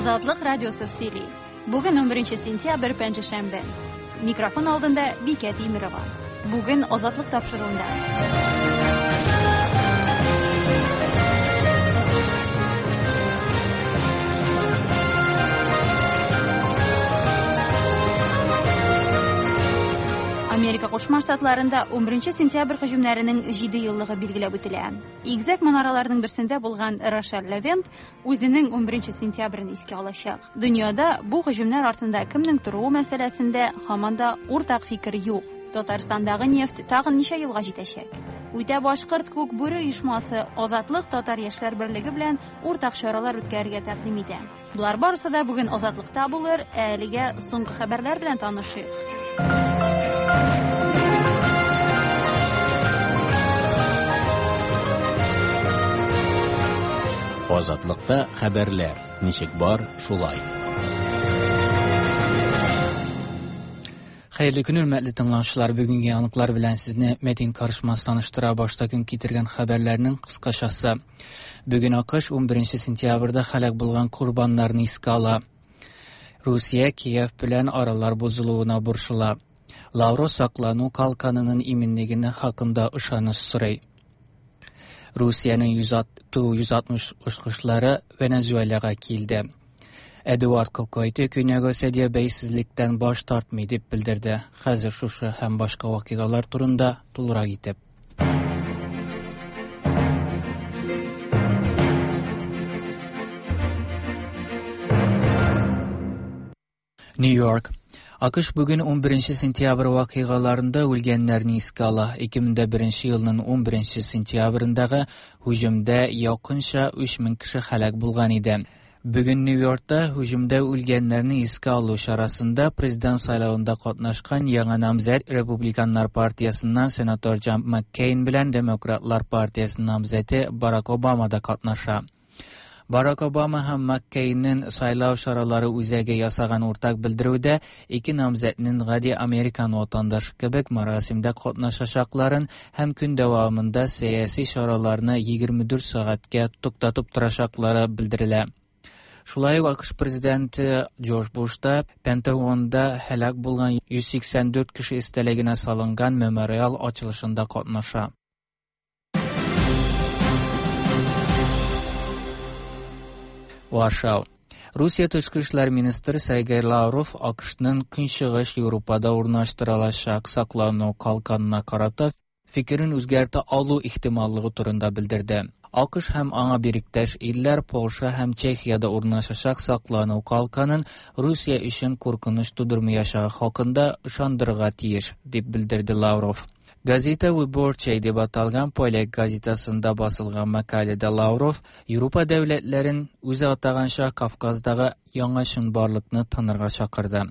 Азатлык радиосы сөйли. Бүген 11 сентябрь пәнҗешәмбе. Микрофон алдында Бикә Тимерова. Бүген Азатлык тапшыруында. Америка Кушма Штатларында 11 сентябрь һөҗүмнәренең 7 еллыгы билгеләп үтелә. Игезәк манараларның берсендә булган Рошель Левент үзенең 11 сентябрен искә алачак. Дөньяда бу һөҗүмнәр артында кемнең торуы мәсьәләсендә һаман да уртак фикер юк. Татарстандагы нефть тагын ничә елга җитәчәк? Үтә башкорт күк бүре оешмасы Азатлык татар яшьләр берлеге белән уртак чаралар үткәрергә тәкъдим итә. Болар барысы да бүген Азатлыкта булыр, ә әлегә соңгы хәбәрләр белән танышыйк. Азатлыкта хәбәрләр ничек бар, шулай. Хәерле көн, хөрмәтле тыңлаучылар. Бүгенге яңалыклар белән сезне Мәдин Карышмас таныштыра. Башта көн китергән хәбәрләрнең кыскачасы. Бүген АКШ 11 сентябрьдә һәлак булган корбаннарны искә ала. Русия Киев белән аралар бозылуына борчыла. Лавров саклану калканының иминлегенә хакында ышаныч сорый. Русиянең Ту-160 очкычлары Венесуэлага килде. Эдуард Кокойты Көньяк Осетия бәйсезлектән баш тартмый дип белдерде. Хәзер шушы һәм башка вакыйгалар турында тулырак итеп. Нью-Йорк. АКШ бүген 11 сентябрь вакыйгаларында үлгәннәрне искә ала. 2001 елның 11 сентябрендәге һөҗүмдә якынча 3000 кеше һәлак булган иде. Бүген Нью-Йоркта һөҗүмдә үлгәннәрне искә алу чарасында президент сайлавында катнашкан яңа намзәт Републиканнар партиясеннән сенатор Джон Маккейн белән Демократлар партиясе намзәте Барак Обама да катнаша. Барак Обама һәм Маккейнның сайлау чаралары үзәге ясаган уртак белдерүдә ике намзәтнең гади американ ватандашы кебек мәрасимдә катнашачакларын һәм көн дәвамында сәяси чараларны 24 сәгатькә туктатып торачаклары белдерелә. Шулай ук АКШ президенты Джордж Буш та Пентагонда һәлак булган 184 кеше истәлегенә салынган мемориал ачылышында катнаша. Варшав. Русия тышкы эшләр министры Сергей Лавров АКШның Көнчыгыш Европада урнаштырылачак саклану калканына карата фикерен үзгәртә алу ихтималлыгы турында белдерде. АКШ һәм аңа бириктәш илләр Польша һәм Чехиядә урнашачак саклану калканын Русия өчен куркыныч тудырмаячагы хакында ышандырырга тиеш, дип белдерде Лавров. Газета Wyborczej дип аталган поляк газетасында басылган мәкаләдә Лавров Европа дәүләтләрен үзе атаганча Кавказдагы яңа чынбарлыкны танырга чакырды.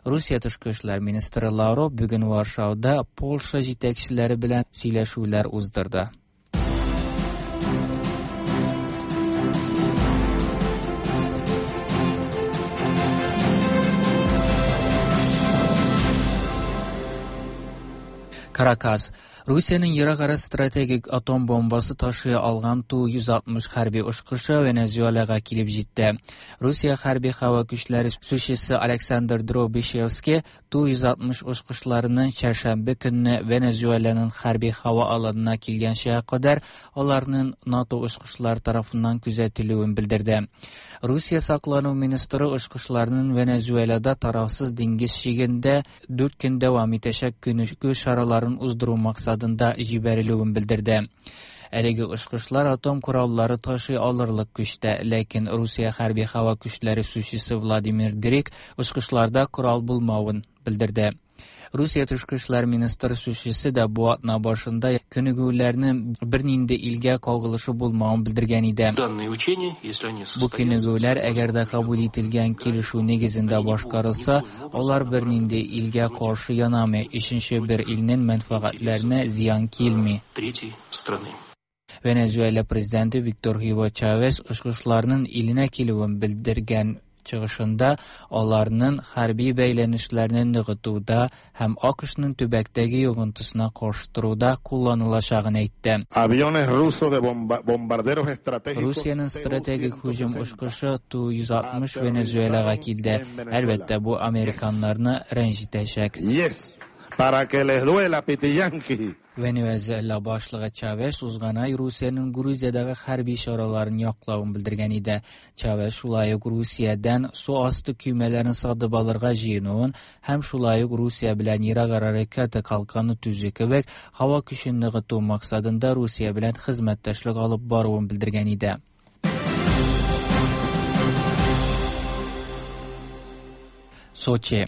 Русия тышкы эшләр министры Лавров бүген Варшавда Польша җитәкчеләре белән сөйләшүләр уздырды. Каракас. Русиянең ерак ара стратегик атом бомбасы ташый алган Ту-160 хәрби очкычы Венесуэлага килеп җитте. Русия хәрби һава көчләре сүзчесе Александр Дробишевский Ту-160 очкычларының чәршәмбе көнне Венесуэланың хәрби һава аланына килгәнчә кадәр аларның НАТО очкычлары тарафыннан күзәтелүен белдерде. Русия саклану министры очкычларның Венесуэлада тарафсыз диңгез чигендә 4 көн дәвам итәчәк күнегү чараларын уздыру максатында җибәрелүен белдерде. Әлеге очкычлар атом кораллары ташый алырлык көчтә, ләкин Русия хәрби һава көчләре сүзчесе Владимир Дрик очкычларда корал булмавын белдерде. Русия тышкы эшләр министры сүзчесе дә бу атна башында күнегүләрнең бернинди илгә кагылышы булмавын белдергән иде. Данные учения, если они Бу состоятся, күнегүләр әгәр дә кабул ителгән килешү нигезендә башкарылса, алар бернинди илгә каршы янамый, өченче бер илнең мәнфәгатьләренә зыян килми. третьей страны. Венесуэла президенты Виктор Hugo Чавес очкычларның иленә килүен белдергән. Чыгышында аларның хәрби бәйләнешләрне ныгытуда һәм АКШның төбәктәге йогынтысына каршы торуда кулланылачагын әйтте. Aviones rusos de bombarderos estratégicos Русиянең стратегик һөҗүм очкычы Ту-160 Венесуэлага килде. Әлбәттә, бу американнарны рәнҗетәчәк. Yes, para que les duela, Pitiyanqui. Венесуэла башлыгы Чавес узган ай Русиянең Грузиядәге хәрби чараларын яклавын белдергән иде. Чавес шулай ук Русиядән су асты көймәләрен сатып алырга җыенуын һәм шулай ук Русия белән ерак ара ракета калканы төзү кебек һава көчен ныгыту максатында Русия белән хезмәттәшлек алып баруын белдергән иде. Сочи.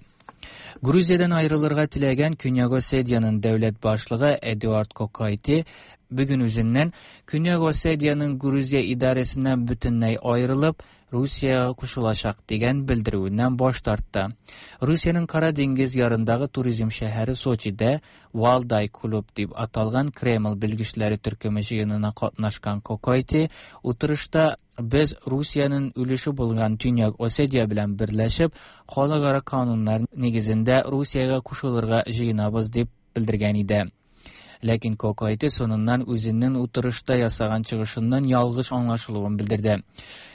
Грузиядән аерылырга теләгән Көньяк Осетиянең дәүләт башлыгы Эдуард Кокайти бүген үзеннән Көньяк Осетиянең Грузия идарәсеннән бөтенләй аерылып, Русиягә кушылачак дигән белдерүеннән баш тартты. Русиянең Кара диңгез ярындагы туризм шәһәре Сочида Валдай клуб дип аталган Кремль белгечләре төркеме җыенына катнашкан Кокайти утырышта без Русиянең өлеше булган Төньяк Осетия белән берләшеп, халыкара кануннар нигезендә Русиягә кушылырга җыенабыз дип белдергән иде. Ләкин Кокайти соңыннан үзенең утырышта ясаган чыгышыннан ялгыш аңлашылуын белдерде.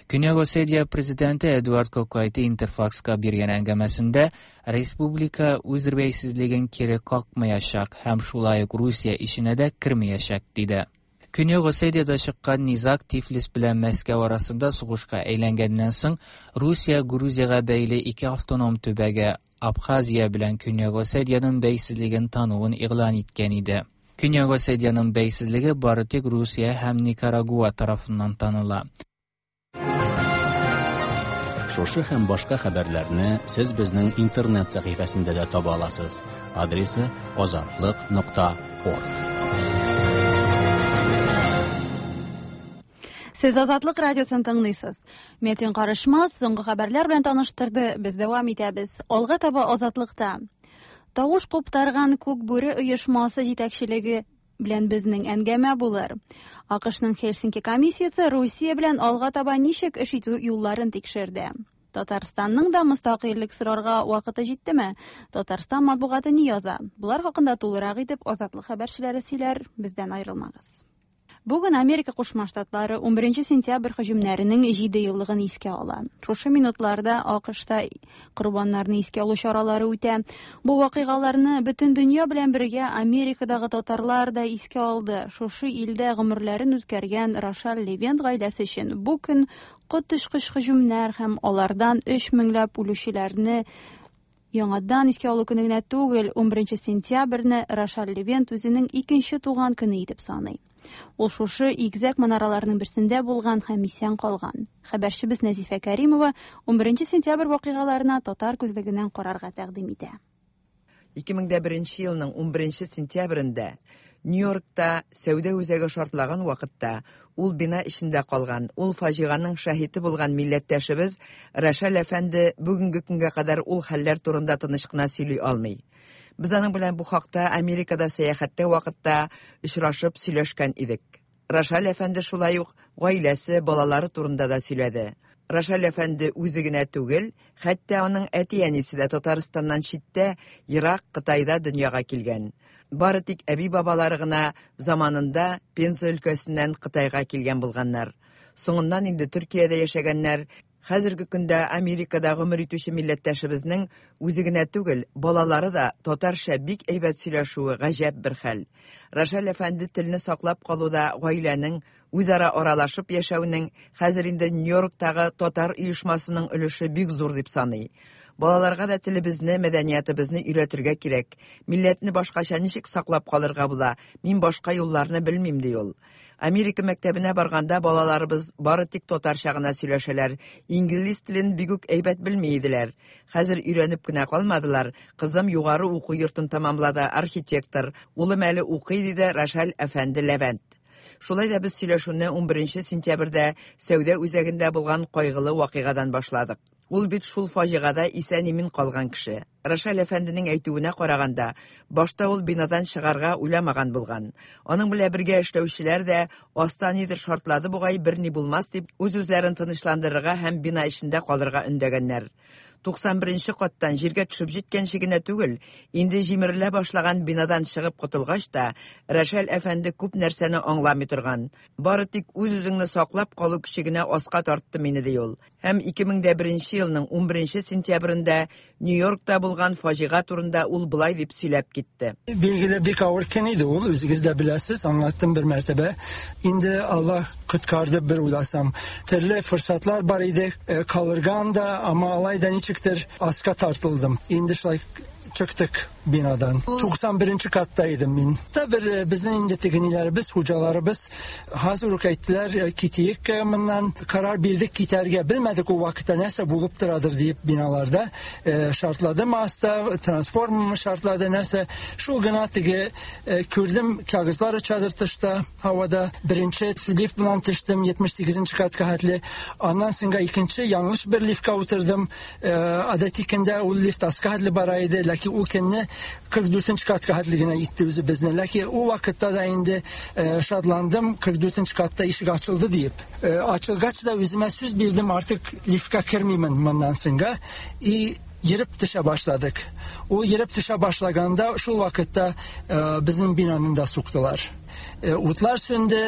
Көньяк Осетия президенты Эдуард Кокайти Интерфакска биргән әңгәмәсендә республика үз бәйсезлеген кире какмаячак һәм шулай ук Русия ишенә дә кермәячәк, диде. Көньяк Осетиядә чыккан низаг Тифлис белән Мәскәү арасында сугышка әйләнгәннән соң Русия Грузиягә бәйле ике автоном төбәге Абхазия белән Көньяк Осетиянең бәйсезлеген тануын игълан иткән иде. Көньяк Осетиянең бәйсезлеге бары тик Русия һәм Никарагуа тарафыннан таныла. Шушы һәм башка хәбәрләрне сез безнең интернет сәхифәсендә дә таба аласыз. Адресы azatliq.org. Сез Азатлык радиосын тыңлыйсыз. Метин Карышмас соңгы хәбәрләр белән таныштырды. Без дәвам итәбез. Алга таба Азатлыкта. Тавыш куптарган Күк бүре оешмасы җитәкчелеге белән безнең әңгәмә булыр. АКШның Хельсинки комиссиясе Русия белән алга таба ничек эш итү юлларын тикшерде. Татарстанның да мөстәкыйльлек сорарга вакыты җиттеме? Татарстан матбугаты ни яза? Булар хакында тулырак итеп Азатлык хәбәрчеләре сөйләр, бездән аерылмагыз. Бүген Америка Кушма Штатлары 11 сентябрь һөҗүмнәренең 7 еллыгын искә ала. Шушы минутларда АКШта корбаннарны искә алу чаралары үтә. Бу вакыйгаларны бөтен дөнья белән бергә Америкадагы татарлар да искә алды. Шушы илдә гомерләрен үткәргән Рошаль Левент гаиләсе өчен бу көн коточкыч һөҗүмнәр һәм алардан 3 меңләп үлүчеләрне яңадан искә алу көне генә түгел, 11 сентябрьне Рошаль Левент үзенең икенче туган көне итеп саный. Ул шушы игезәк манараларның берсендә булган һәм исән калган. Хәбәрчебез Нәзифә Кәримова 11 сентябрь вакыйгаларына татар күзлегеннән карарга тәкъдим итә. 2001 елның 11 сентябрендә Нью-Йоркта сәүдә үзәге шартлаган вакытта ул бина эчендә калган, ул фаҗиганың шаһиты булган милләттәшебез Рәшәл әфәнде бүгенге көнгә кадәр ул хәлләр турында тыныч кына сөйли алмый. Без аның белән бу хакта Америкада сәяхәттә вакытта очрашып сөйләшкән идек. Рәшәл әфәнде шулай ук гаиләсе, балалары турында да сөйләде. Рәшәл әфәнде үзе генә түгел, хәтта аның әти-әнисе дә Татарстаннан читтә, ерак Кытайда дөньяга килгән. Бары тик әби-бабалары гына заманында Пенза өлкәсеннән Кытайга килгән булганнар. Соңыннан инде Төркиядә яшәгәннәр. Хәзерге көндә Америкада гомер итүче милләттәшебезнең үзе генә түгел, балалары да татарча бик әйбәт сөйләшүе гаҗәп бер хәл. Рәшәл әфәнде телне саклап калуда гаиләнең үзара аралашып яшәүнең хәзер инде Нью-Йорктагы татар оешмасының өлеше бик зур дип саный. Балаларга да телебезне, мәдәниятебезне өйрәтергә кирәк. Милләтне башкача ничек саклап калырга була? Мин башка юлларны белмим, ди ул. Америка мәктәбенә барганда балаларыбыз бары тик татарча гына сөйләшәләр. Инглиз телен бик үк әйбәт белми иделәр. Хәзер өйрәнеп кенә калмадылар. Кызым югары уку йортын тәмамлады, архитектор. Улым әле укый, диде Рәшәл әфәнде Левент. Шулай да без сөйләшүне 11 сентябрьдә сәүдә үзәгендә булган кайгылы вакыйгадан башладык. Ул бит шул фаҗигада исән-имин калган кеше. Рошаль әфәнденең әйтүенә караганда, башта ул бинадан чыгарга уйламаган булган. Аның белән бергә эшләүчеләр дә аста нидер шартлады бугай, берни булмас дип, үз-үзләрен тынычландырырга һәм бина эчендә калырга өндәгәннәр. 91 нче каттан җиргә төшеп җиткәнче генә түгел, инде җимерелә башлаган бинадан чыгып котылгач та, Рәшәл әфәнде күп нәрсәне аңламый торган. Бары тик үз-үзеңне саклап калу көче генә аска тартты мине, ди ул. Һәм 2001 нче елның 11 нче сентябрендә Нью-Йоркта булган фаҗига турында ул болай дип сөйләп китте. Билгеле, бик авыр көн иде ул, үзегез дә беләсез, аңлаттым бер мәртәбә. Инде Аллаһ коткарды бер уйласам. Төрле форсатлар бар иде, э, калырга анда, әмма алай да ничектер аска тартылдым. Инде шулай чыктык бинадан. 91 катта идем мин. Та бер э, безнең инде теге ниләребез, хуҗаларыбыз хәзер үк әйттеләр, э, китик э, моннан. Карар бирдек китәргә. Белмәдек ул вакытта нәрсә булып торадыр диеп биналарда. Шартладымы аста, трансформермы шартлады, нәрсә. Шул гына теге күрдем, кәгазьләр очадыр тышта, һавада. Беренче лифт белән төштем, 78 нче катка хәтле. Аннан соңга икенче яңлыш бер лифтка утырдым. Гадәти көндә ул лифт аска хәтле бара иде, ләкин ул көнне 44 нче катка хәтле генә итте үзе безне. Ләкин ул вакытта да инде шатландым, 44 нче катта ишек ачылды диеп. Ачылгач да үземә сүз бирдем, артык лифтка кермимен моннан соңга. И ерып төшә башладык. Ул ерып төшә башлаганда, шул вакытта безнең бинаны да суктылар. Утлар сүнде,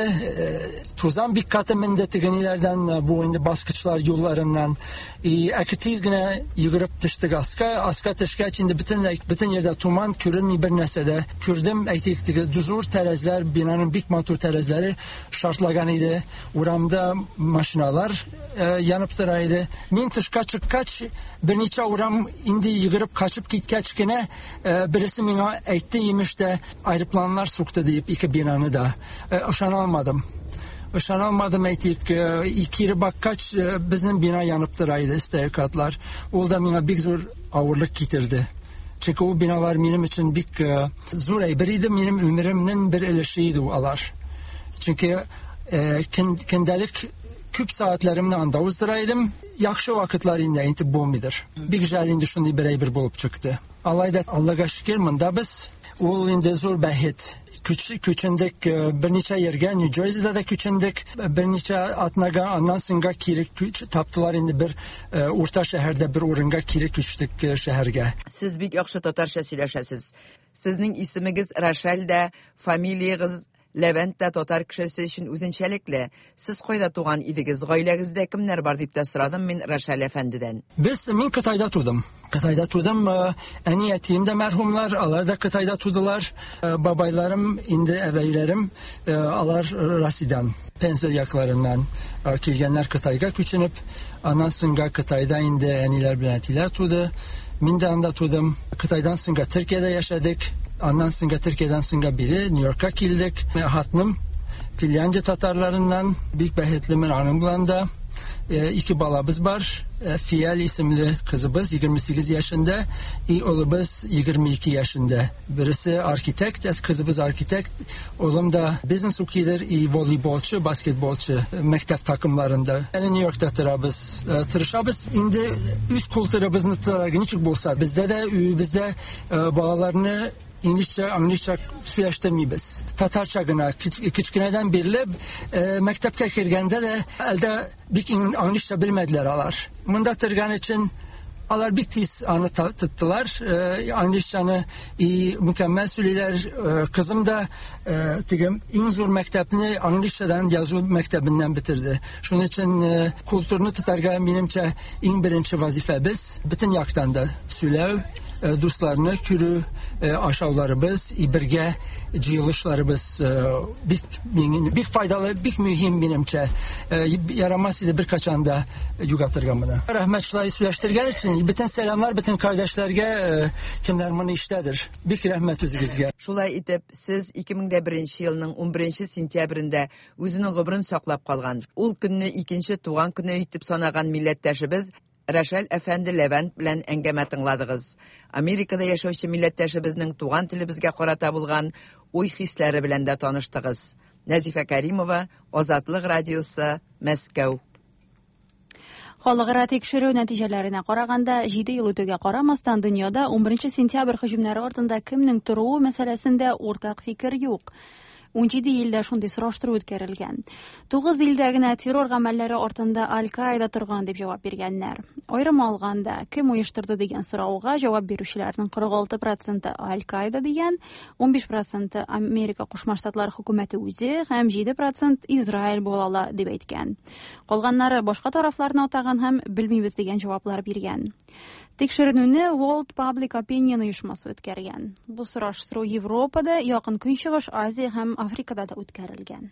тузан бик каты менде теге ниләрдән, бу инде баскычлар юлларыннан. И әке тиз генә йөгереп төштек аска. Аска төшкәч инде бөтенләй бөтен җирдә туман, күренми бер нәрсә дә. Күрдем, әйтик, теге зур тәрәзләр, бинаның бик матур тәрәзләре шартлаган иде. Урамда машиналар янып тора иде. Мин тышка чыккач, берничә урам инде йөгереп качып киткәч кенә, бересе миңа әйтте, имеш тә, аэропланнар сукты диеп ике бинаны да. Ышана алмадым. Ышана алмадым, әйтик, кире баккач, безнең бина янып тора иде, өстәге катлар. Ул да миңа бик зур авырлык китерде. Чөнки ул биналар минем өчен бик зур әйбер иде, минем өмеремнең бер өлеше иде алар. Чөнки көндәлек күп сәгатьләремне анда уздыра идем. Яхшы вакытлар инде әйтеп булмыйдыр. Бик жәл инде шундый бер әйбер булып чыкты. Алай да Аллага шөкер, монда без. Ул инде зур бәхет. Күч, күчендек берничә ергә, Нью-Джерсида да күчендек берничә атнага, аннан соңга кире күч таптылар инде бер урта шәһәрдә бер урынга кире күчтек шәһәргә. Сез бик яхшы татарча сөйләшәсез. Сезнең исемегез Рашаль дә, фамилиягез Ләвәнт тә татар кешесе өчен үзенчәлекле. Сез кайда туган идегез, гаиләгездә кемнәр бар дип тә сорадым мин Рашаль әфәндедән. Без, мин Кытайда тудым. Кытайда тудым. Әни әтием дә мәрхүмнәр, алар да Кытайда тудылар. Бабайларым, инде әбәйләрем, алар Россиядән, Пенза якларыннан килгәннәр Кытайга күченеп. Аннан соңга Кытайда инде әниләр белән әтиләр туды. Мин дә анда тудым. Кытайдан соңга Төркиядә яшәдек. Аннан соңга Төркиядән соңга бире Нью-Йоркка килдек. Хатыным Финляндия татарларыннан, бик бәхетлемен аның белән дә. Ике балабыз бар. Фиаль исемле кызыбыз 28 яшендә, и улыбыз 22 яшендә. Берсе архитект, кызыбыз архитект, улым да бизнес укыйдыр и волейболчы, баскетболчы мәктәп такымларында. Әле Нью-Йоркта торабыз. Тырышабыз инде үз культурабызны тотарга ничек булса. Бездә дә өебездә балаларны инглизчә, английча сөйләштермибез. Татарча гына кечкенәдән бирле мәктәпкә кергәндә дә әлдә бик английча белмәделәр алар. Монда торган өчен алар бик тиз аны тоттылар. Английчаны и мөкәммәл сөйлиләр. Кызым да теге иң зур мәктәпне английчадан язу мәктәбеннән бетерде. Шуның өчен культурны тотарга минемчә иң беренче вазифабыз бөтен яктан да сөйләү, дусларны күрү, ашауларыбыз, и бергә җыелышларыбыз бик бик файдалы, бик мөһим минемчә. Ярамас иде беркайчан да югалтырга моны. Рәхмәт шулай сөйләштергән өчен. Бөтен сәламнар бөтен кардәшләргә, кемнәр моны ишетәдер. Бик рәхмәт үзегезгә. Шулай итеп, сез 2001 елның 11 сентябрендә үзенең гомерен саклап калган, ул көнне икенче туган көне итеп санаган милләттәшебез Рәшәл әфәнде Ләвәнт белән әңгәмә тыңладыгыз. Америкада яшәүче милләттәшебезнең туган телебезгә карата булган уй-хисләре белән дә таныштыгыз. Нәзифә Кәримова, Азатлык радиосы, Мәскәү. Халыкара тикшерү нәтиҗәләренә караганда, 7 ел үтүгә карамастан, дөньяда 11 сентябрь һөҗүмнәре артында кемнең торуы мәсьәләсендә уртак фикер юк. 17 илдә шундый сораштыру үткәрелгән. 9 илдә генә террор гамәлләре артында Аль-Каида торган дип җавап биргәннәр. Аерым алганда, кем оештырды дигән сорауга җавап бирүчеләрнең 46% Аль-Каида дигән, 15% Америка Кушма Штатлары хөкүмәте үзе һәм 7% Израиль була ала дип әйткән. Калганнары башка тарафларны атаган һәм белмибез дигән җаваплар биргән. Тикшеренүне World Public Opinion оешмасы үткәргән. Бу сораштыру Европада, Якын Көнчыгыш, Азия һәм Африкада да үткәрелгән.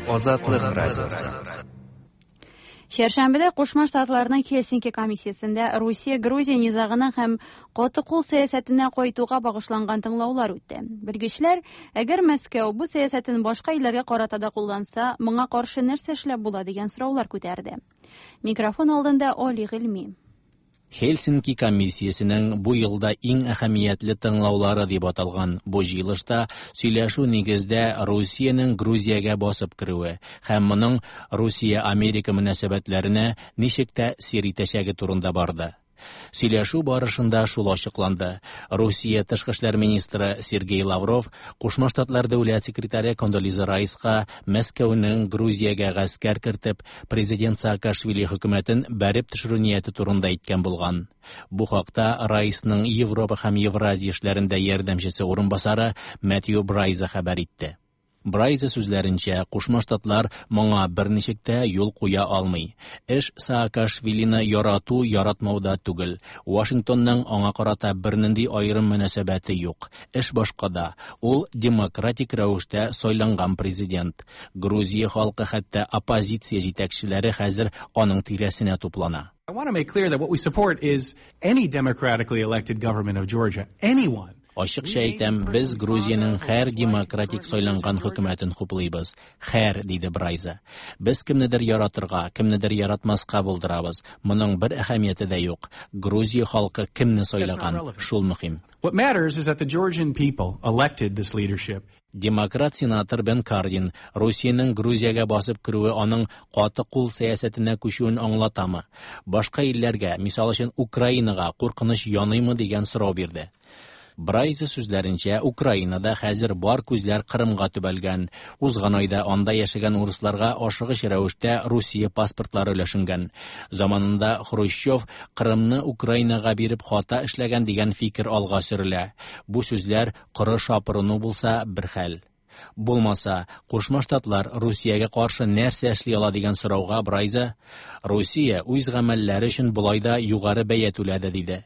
Азатлык радиосы. Чәршәмбедә Кушма Штатларның Хельсинки комиссиясендә Русия-Грузия низагына һәм каты кул сәясәтенә кайтуга багышланган тыңлаулар үтте. Белгечләр, әгәр Мәскәү бу сәясәтен башка илләргә карата да кулланса, моңа каршы нәрсә эшләп була дигән сораулар күтәрде. Микрофон алдында Оли Гыйльми. Хельсинки комиссиясенең бу елда иң әһәмиятле тыңлаулары дип аталган бу җыелышта сөйләшү нигездә Русиянең Грузиягә басып керүе һәм моның Русия-Америка мөнәсәбәтләренә ничек тәэсир итәчәге турында барды. Сөйләшү барышында шул ачыкланды. Русия тышкы эшләр министры Сергей Лавров Кушма Штатлар дәүләт секретаре Кондолиза Райска Мәскәүнең Грузиягә гаскәр кертеп, президент Саакашвили хөкүмәтен бәреп төшерү нияте турында әйткән булган. Бу хакта Райсның Европа һәм Евразия эшләрендә ярдәмчесе урынбасары Мэтью Брайза хәбәр итте. Брайза сүзләренчә, Кушма Штатлар моңа берничек тә юл куя алмый. Эш Саакашвилины ярату яратмауда түгел. Вашингтонның аңа карата бернинди аерым мөнәсәбәте юк. Эш башкада. Ул демократик рәвештә сайланган президент. Грузия халкы, хәтта оппозиция җитәкчеләре хәзер аның тирәсенә туплана. I want to make clear that what we support is any democratically elected government of Georgia. Anyone. Ачыкча әйтәм, без Грузиянең һәр демократик сайланган хөкүмәтен хуплыйбыз. Һәр, диде Брайза. Без кемнедер яратырга, кемнедер яратмаска булдырабыз. Моның бер әһәмияте дә юк. Грузия халкы кемне сайлаган, шул мөһим. What matters is that the Georgian people elected this leadership. Демократ сенатор Бен Кардин Русиянең Грузиягә басып керүе аның каты кул сәясәтенә күчүен аңлатамы? Башка илләргә, мисал өчен Украинага куркыныч яныймы дигән сорау бирде. Брайза сүзләренчә, Украинада хәзер бар күзләр Кырымга төбәлгән. Узган айда анда яшәгән урысларга ашыгыч рәвештә Русия паспортлары өләшенгән. Заманында Хрущев Кырымны Украинага биреп хата эшләгән дигән фикер алга сөрелә. Бу сүзләр коры шапырыну булса бер хәл. Булмаса, Кушма Штатлар Русиягә каршы нәрсә эшли ала дигән сорауга Брайза, Русия үз гамәлләре өчен болай да югары бәя түләде диде.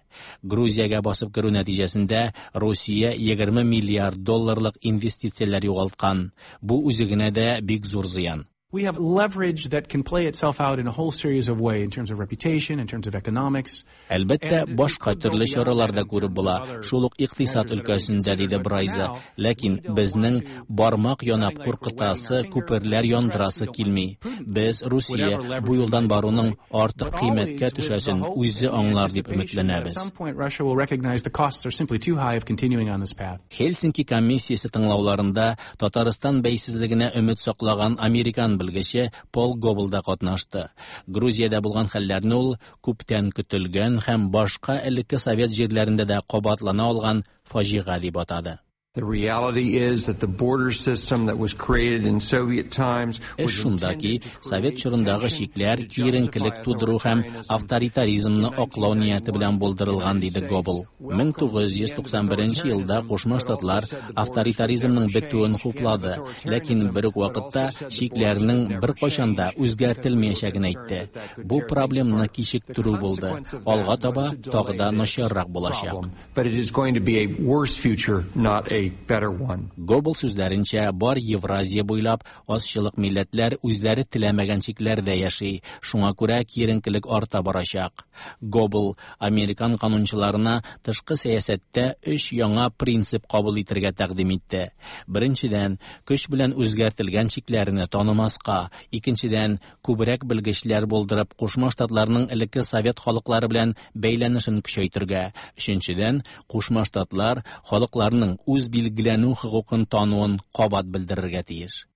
Грузиягә басып керү нәтиҗәсендә Русия 20 миллиард долларлык инвестицияләр югалткан. Бу үзе генә дә бик зур зыян. We have leverage that can play itself out in a whole series of ways in terms of reputation, in terms of economics. Әлбәттә, башка төрле чаралар да күреп була, шул ук икътисад өлкәсендә, диде Брайза. Ләкин безнең бармак янап куркытасы, күперләр яндырасы килми. Без Русия бу юлдан баруның артык кыйммәткә төшәсен үзе аңлар дип өметләнәбез. At some point, Russia will recognize the costs are simply too high of continuing on this path. Хельсинки комиссиясе тыңлауларында Татарстан бәйсезлегенә өмет саклаган американ белгече Пол Гобл да катнашты. Грузиядә булган хәлләрне ул күптән көтелгән һәм башка элекке совет җирләрендә дә кабатлана алган фаҗига дип атады. The reality is that the border system that was created in Soviet times Эш шунда ки, совет чорындагы чикләр киеренкелек тудыру һәм авторитаризмны аклау нияте белән булдырылган, диде Гобл. 1991 елда Кушма Штатлар авторитаризмның бетүен хуплады, ләкин бер үк вакытта чикләрнең беркайчан да үзгәртелмәячәген әйтте. Бу проблемны кичектерү булды. Алга таба тагы да начаррак булачак. But it is going to be a worse future, not a better one. Гобл сүзләренчә, бар Евразия буйлап азчылык милләтләр үзләре теләмәгән чикләрдә яши, шуңа күрә киеренкелек арта барачак. Гобл американ канунчыларына тышкы сәясәттә өч яңа принцип кабул итәргә тәкъдим итте. Беренчедән, көч белән үзгәртелгән чикләрне танымаска, икенчедән, күбрәк белгечләр булдырып, Кушма Штатларның элекке совет халыклары белән бәйләнешен көчәйтергә, өченчедән, Кушма Штатлар халыкларның үз үзбилгеләнү хокукын тануын кабат белдерергә тиеш.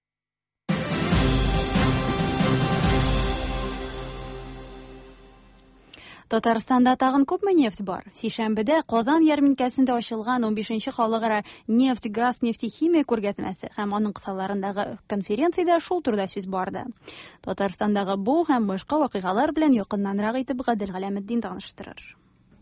Татарстанда тагын күпме нефть бар? Сишәмбедә Казан ярминкәсендә ачылган 15нче халыкара нефть, газ, нефтехимия күргәзмәсе һәм аның кысаларындагы конференциядә шул турыда сүз барды. Татарстандагы бу һәм башка вакыйгалар белән якыннанрак итеп Гадел Галәметдин таныштырыр.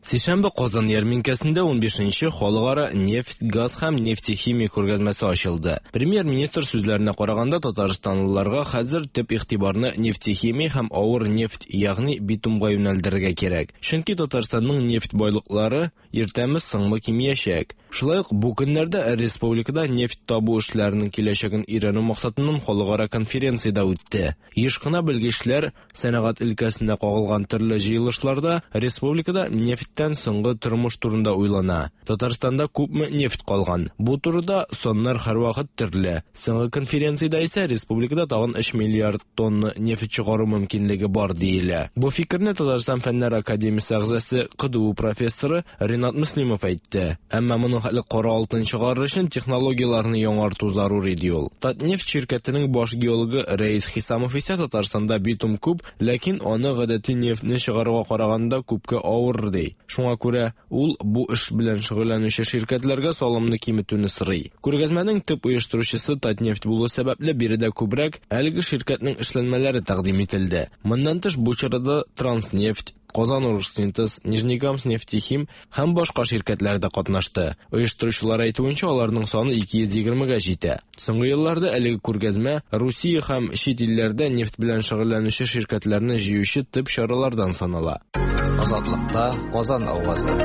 Сишәмбе Казан ярминкәсендә 15нче халыкара нефть, газ һәм нефтехимия күргәзмәсе ачылды. Премьер-министр сүзләренә караганда, татарстанлыларга хәзер төп игътибарны нефтехимия һәм авыр нефть, ягъни битумга юнәлдерергә кирәк. Чөнки Татарстанның нефть байлыклары иртәме соңмы кимиячәк. Шулай ук бу көннәрдә республикада нефть табу эшләренең киләчәген өйрәнү максатыннан халыкара конференция дә үтте. Еш кына белгечләр сәнәгать өлкәсенә кагылган төрле җыелышларда республикада нефтьтән соңгы тормыш турында уйлана. Татарстанда күпме нефть калган? Бу турыда саннар һәрвакыт төрле. Соңгы конференциядә исә республикада тагын 3 миллиард тонна нефть чыгару мөмкинлеге бар диелә. Бу фикерне Татарстан Фәннәр академиясе әгъзасы, КДУ профессоры Ринат Мөслимов әйтте. Әмма моның хәтле кара алтын чыгарыр өчен технологияләрне яңарту зарур иде ул. Татнефть ширкәтенең баш геологы Рәис Хисамов исә Татарстанда битум күп, ләкин аны гадәти нефтьне чыгаруга караганда күпкә авыр ди. Шуңа күрә ул бу эш белән шөгыльләнүче ширкәтләргә салымны киметүне сорый. Күргәзмәнең төп оештыручысы Татнефть булу сәбәпле биредә күбрәк әлеге ширкәтнең эшләнмәләре тәкъдим ителде. Моннан тыш бу чарада Транснефть, Казан Оргсинтез, Нижнекамск нефтехим һәм башка ширкәтләр дә катнашты. Оештыручылар әйтүенчә, аларның саны 220гә җитә. Соңгы елларда әлеге күргәзмә Русия һәм чит илләрдә нефть белән шөгыльләнүче ширкәтләрне җыючы төп чаралардан санала. Азатлыкта Казан авазы.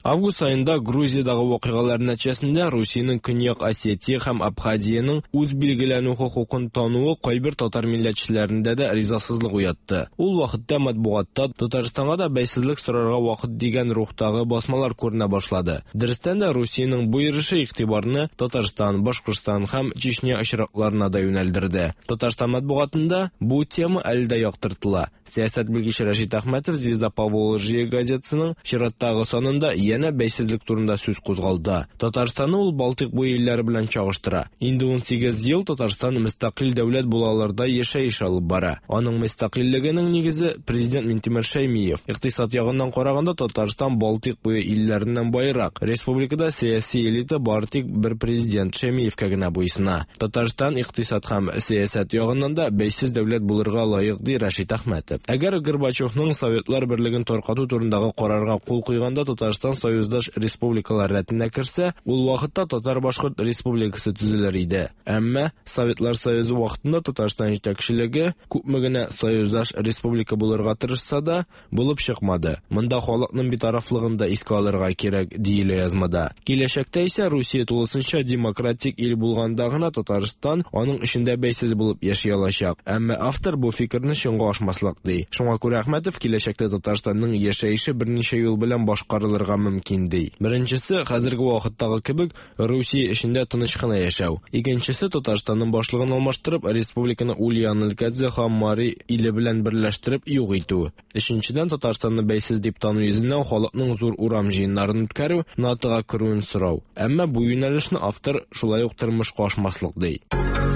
Август аенда Грузиядагы вакыйгалар нәтиҗәсендә Русиянең Көньяк Осетия һәм Абхазиянең үз билгеләнү хокукын тануы кайбер татар милләтчеләрендә дә ризасызлык уятты. Ул вакытта матбугатта Татарстанга да бәйсезлек сорарга вакыт дигән рухтагы басмалар күренә башлады. Дөрестән дә Русиянең бу йөреше игътибарны Татарстан, Башкортстан һәм Чечня очракларына да юнәлдерде. Татарстан матбугатында бу тема әле дә яктыртыла. Сәясәт белгече Рәшит Әхмәтов Звезда Поволжье газетасының чираттагы санында янә бәйсезлек турында сүз кузгалды. Татарстанны ул Балтыйк буе илләре белән чагыштыра. Инде 18 ел Татарстан мөстәкыйль дәүләт булаларда яшәеш алып бара. Аның мөстәкыйльлегенең нигезе президент Минтимер Шәймиев. Икътисад ягыннан караганда Татарстан Балтыйк буе илләреннән байрак. Республикада сәяси элита бары тик бер президент Шәймиевкә генә буйсына. Татарстан икътисад һәм сәясәт ягыннан да бәйсез дәүләт булырга лаек, ди Рәшит Әхмәтов. Әгәр Горбачевның Советлар Берлеген таркату турындагы карарга кул куйганда Татарстан союздаш республикалар рәтенә керсә, ул вакытта Татар-Башкорт республикасы төзелер иде. Әмма Советлар Союзы вакытында Татарстан җитәкчелеге күпме генә союздаш республика булырга тырышса да, булып чыкмады. Монда халыкның битарафлыгын да искә алырга кирәк, диелә язмада. Киләчәктә исә Русия тулысынча демократик ил булганда гына Татарстан аның эчендә бәйсез булып яши алачак. Әмма автор бу фикерне чынга ашмаслык ди. Шуңа күрә Әхмәтов киләчәктә Татарстанның яшәеше берничә юл белән башкарылырга мөмкин ди. Беренчесе, хәзерге вакыттагы кебек Русия эчендә тыныч кына яшәү. Икенчесе, Татарстанның башлыгын алмаштырып, республиканы Ульян өлкәсе һәм Мари иле белән берләштереп юк итү. Өченчедән, Татарстанны бәйсез дип тану йөзеннән халыкның зур урам җыеннарын үткәрү, НАТОга керүен сорау. Әмма бу юнәлешне автор шулай ук тормышка ашмаслык ди.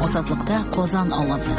Азатлыкта Казан авазы.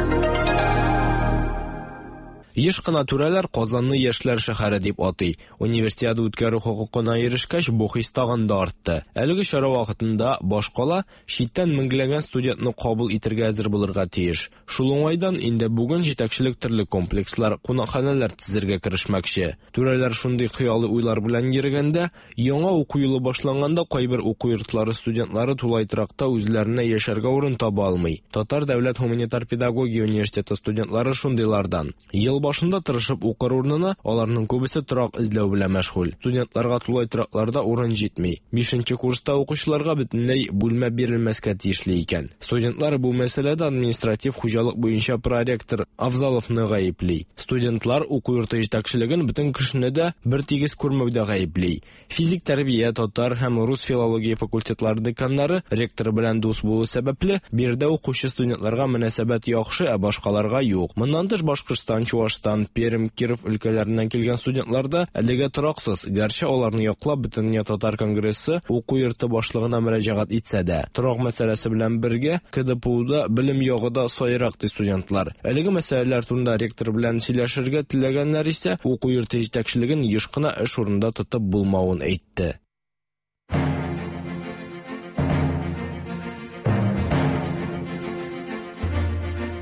Еш кына түрәләр Казанны яшьләр шәһәре дип атый. Универсиада үткәрү хокукына ирешкәч, бу хис тагын да артты. Әлеге чара вакытында башкала читтән меңләгән студентны кабул итәргә әзер булырга тиеш. Шул уңайдан инде бүген җитәкчелек төрле комплекслар, кунакханәләр төзергә керешмәкче. Түрәләр шундый хыялый уйлар белән йөргәндә, яңа уку елы башланганда кайбер уку йортлары студентлары тулай торакта үзләренә яшәргә урын таба алмый. Татар дәүләт гуманитар педагогия университеты студентлары шундыйлардан. Ел башында тырышып укыр урынына аларның күбесе торак эзләү белән мәшгуль. Студентларга тулай торакларда урын җитми. 5нче курста укучыларга бөтенләй бүлмә бирелмәскә тиешле икән. Студентлар бу мәсьәләдә административ хуҗалык буенча проректор Авзаловны гаепли. Студентлар уку йорты җитәкчелеген бөтен кешене дә бер тигез күрмәүдә гаепли. Физик тәрбия, татар һәм рус филология факультетлары деканнары ректор белән дус булу сәбәпле, биредә укучы студентларга мөнәсәбәт яхшы, ә башкаларга юк. Моннан тыш Башкортстан, Чуашстан Татарстан, Пермь, Киров өлкәләреннән килгән студентлар да әлегә тораксыз, гәрчә аларны яклап Бөтендөнья татар конгрессы уку йорты башлыгына мөрәҗәгать итсә дә. Торак мәсьәләсе белән бергә КДПУда белем ягы да сайрак, ди студентлар. Әлеге мәсьәләләр турында ректор белән сөйләшергә теләгәннәр исә уку йорты җитәкчелеген еш кына эш урынында тотып булмавын әйтте.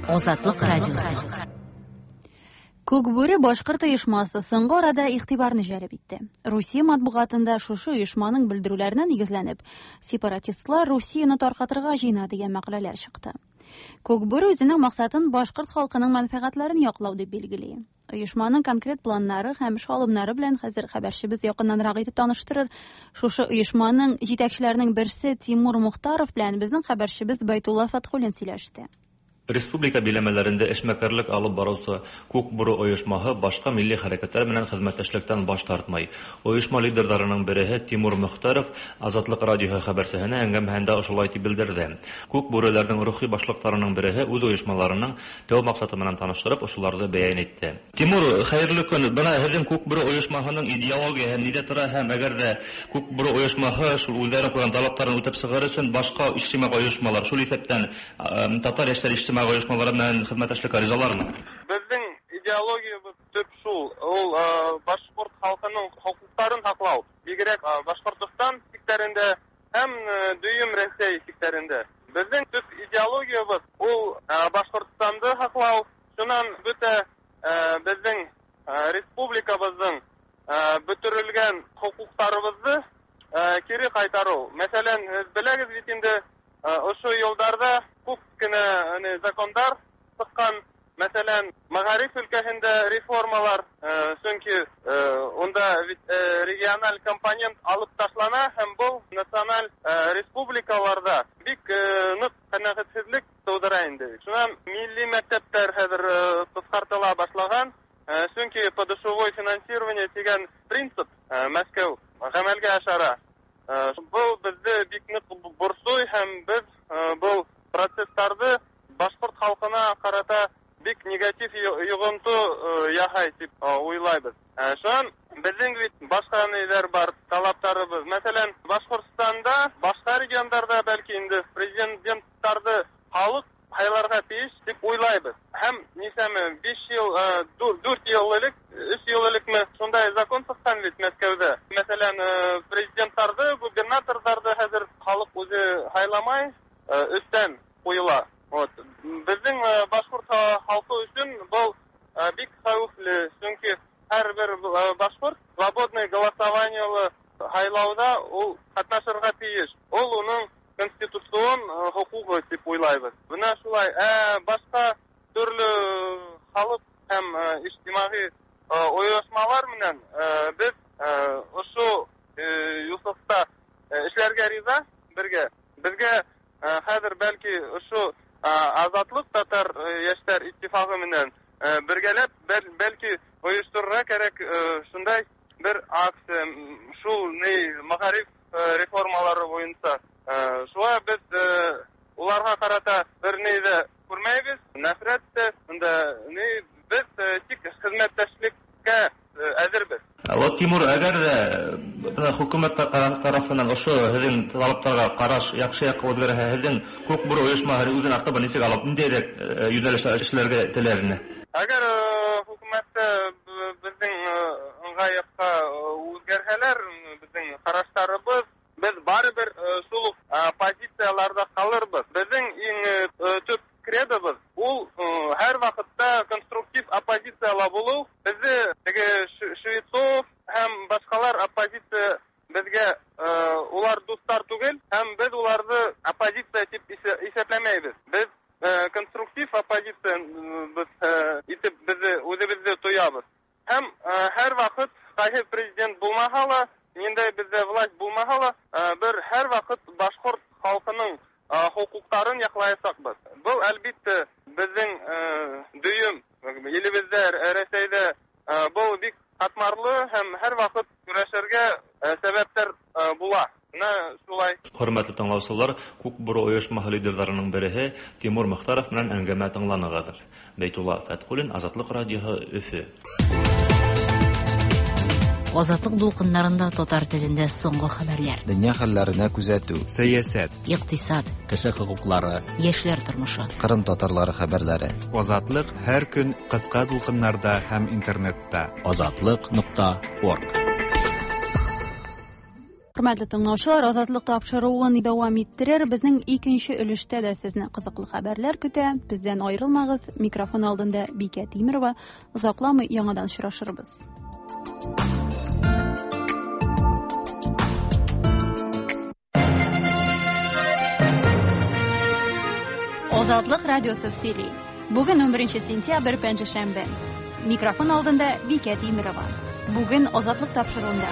Азатлык радиосы. Күкбүре башкорт оешмасы соңгы арада игътибарны җәлеп итте. Русия матбугатында шушы оешманың белдерүләренә нигезләнеп, сепаратистлар Русияне таркатырга җыена дигән мәкаләләр чыкты. Күкбүре үзенең максатын башкорт халкының мәнфәгатьләрен яклау дип билгели. Оешманың конкрет планнары һәм эш алымнары белән хәзер хәбәрчебез якыннанрак итеп таныштырыр. Шушы оешманың җитәкчеләренең берсе Тимур Мухтаров белән безнең хәбәрчебез Байтулла Фатхуллин сөйләште. Республика биләмәләрендә эшмәкәрлек алып баручы Күк Бүре оешмаһы башка милли хәрәкәтләр менән хезмәттәшлектән баш тартмый. Оешма лидерларының береһе Тимур Мөхтәров Азатлык радиоһы хәбәрчеһенә әңгәмәһендә ошолай дип белдерде. Күк бүреләрнең рухи башлыкларының береһе үз оешмаларының тәү максаты менән таныштырып, ошоларны бәян итте. Тимур, хәерле көн. Бына һеҙҙең Күк Бүре оешмаһының идеологияһы ниҙә тора һәм әгәр ҙә Күк Бүре оешмаһы шул үҙҙәренең ҡуйған талаптарын үтәп сығыр өсөн башҡа ижтимағи ойошмалар, шул иҫәптән татар йәштәр ижтимағи ойошмалары менән хеҙмәттәшлеккә ризалармы? Беҙҙең идеологиябыҙ төп шул, ул башҡорт халҡының хоҡуҡтарын һаҡлау, бигерәк Башҡортостан сиктәрендә һәм дөйөм Рәсәй сиктәрендә. Беҙҙең төп идеологиябыҙ ул Башҡортостанды һаҡлау, шунан бөтә беҙҙең республикабыҙҙың бөтөрөлгән хоҡуҡтарыбыҙҙы кире ҡайтарыу. Мәҫәлән, һеҙ беләгеҙ бит инде, ошо йылдарҙа күп кенә закондар сыҡҡан, мәҫәлән, мәғариф өлкәһендә реформалар, сөнки унда бит региональ компонент алып ташлана һәм был националь республикаларҙа бик ныҡ ҡәнәғәтһеҙлек тыуҙыра инде. Шунан милли мәктәптәр хәҙер ҡыҫҡартыла башлаған, сөнки подушевой финансирование тигән принцип Мәскәү ғәмәлгә ашыра. Был беҙҙе бик ныҡ борсой һәм беҙ был процесстарҙы башҡорт халҡына ҡарата бик негатив йоғонто яһай тип уйлайбыҙ. Шунан беҙҙең бит башҡа ниҙәр бар, талаптарыбыҙ. Мәҫәлән, Башҡортостанда, башҡа региондарҙа бәлки инде президенттарҙы халыҡ һайларға тейеш тип уйлайбыҙ. Һәм нисәме, 5 йыл, 4 йыл элек, 3 йыл элекме шундай закон сыҡҡан бит Мәскәүҙә. Мәҫәлән, президенттарҙы, губернаторҙарҙы хәҙер халыҡ үҙе һайламай, өҫтән ҡуйыла. Вот. Беҙҙең башҡорт халҡы өсөн был бик хәүефле, сөнки һәр бер башҡорт свободный голосованиелы һайлауҙа ул ҡатнашырға тейеш. Ул уның конституцион хоҡуғы тип уйлайбыҙ. Бына шулай. Башҡа төрлө халыҡ һәм ижтимағи ойошмалар менән беҙ ошо юҫыҡта эшләргә риза бергә. Беҙгә хәҙер бәлки ошо Азатлыҡ татар йәштәр иттифағы менән бергәләп бәлки ойошторорға кәрәк шундай бер акция, шул ни мәғариф реформалары буйынса. Шулай беҙ уларға ҡарата бер ни ҙә күрмәйбеҙ, нәфрәт тә, унда ни беҙ тик хеҙмәттәшлеккә әҙербеҙ. Вот, Тимур, әгәр ҙә хөкүмәт тарафынан ошо һеҙҙең талаптарға ҡараш яҡшы яҡҡа үҙгәрһә, һеҙҙең Күк Бүре ойошмаһы үҙен артабан нисек алып, ниндәйерәк йүнәлештә эшләргә теләр ине? Әгәр хөкүмәттә беҙҙең ыңғай яҡҡа үҙгәрһәләр, беҙҙең ҡараштарыбыҙ, беҙ барыбер шул уҡ позицияларҙа ҡалырбыҙ. Беҙҙең иң төп кредобыҙ ул һәр ваҡытта конструктив оппозицияла булыу. Беҙҙе теге Швецов һәм башҡалар оппозиция беҙгә улар дуҫтар түгел, һәм беҙ уларҙы оппозиция тип иҫәпләмәйбеҙ. Беҙ конструктив оппозиция беҙ итеп беҙҙе үҙебеҙҙе тоябыҙ. Һәм һәр ваҡыт ҡайһы президент булмаһа ла, ниндәй беҙҙә власть булмаһа ла, бер һәр ваҡыт башҡорт халҡының хоҡуҡтарын яҡлаясаҡбыҙ. Был әлбиттә беҙҙең дөйөм илебеҙҙә, Рәсәйҙә был бик ҡатмарлы һәм һәр ваҡыт көрәшергә сәбәптәр була. Бына шулай. Хөрмәтле тыңлаучылар, Күк Бүре оешмаһы лидерларының береһе Тимур Мөхтәров белән әңгәмә тыңланыгыз. Бәйтулла Фәтхуллин, Азатлык радиоһы, Өфе. Азатлык дулкыннарында татар телендә соңгы хәбәрләр. Дөнья хәлләренә күзәтү. Сәясәт. Икътисад. Кеше хокуклары. Яшьләр тормышы. Кырым татарлары хәбәрләре. Азатлык һәр көн кыска дулкыннарда һәм интернетта. Азатлык.орг. Хөрмәтле тыңлаучылар, Азатлык тапшыруын дәвам иттерер. Безнең икенче өлештә дә сезне кызыклы хәбәрләр көтә. Бездән аерылмагыз. Микрофон алдында Бикә Тимирова. Озакламый яңадан очрашырбыз. Азатлык радиосы сөйли. Бүген 11 сентябрь пәнҗешәмбе. Микрофон алдында Бикә Тимирова. Бүген Азатлык тапшыруында.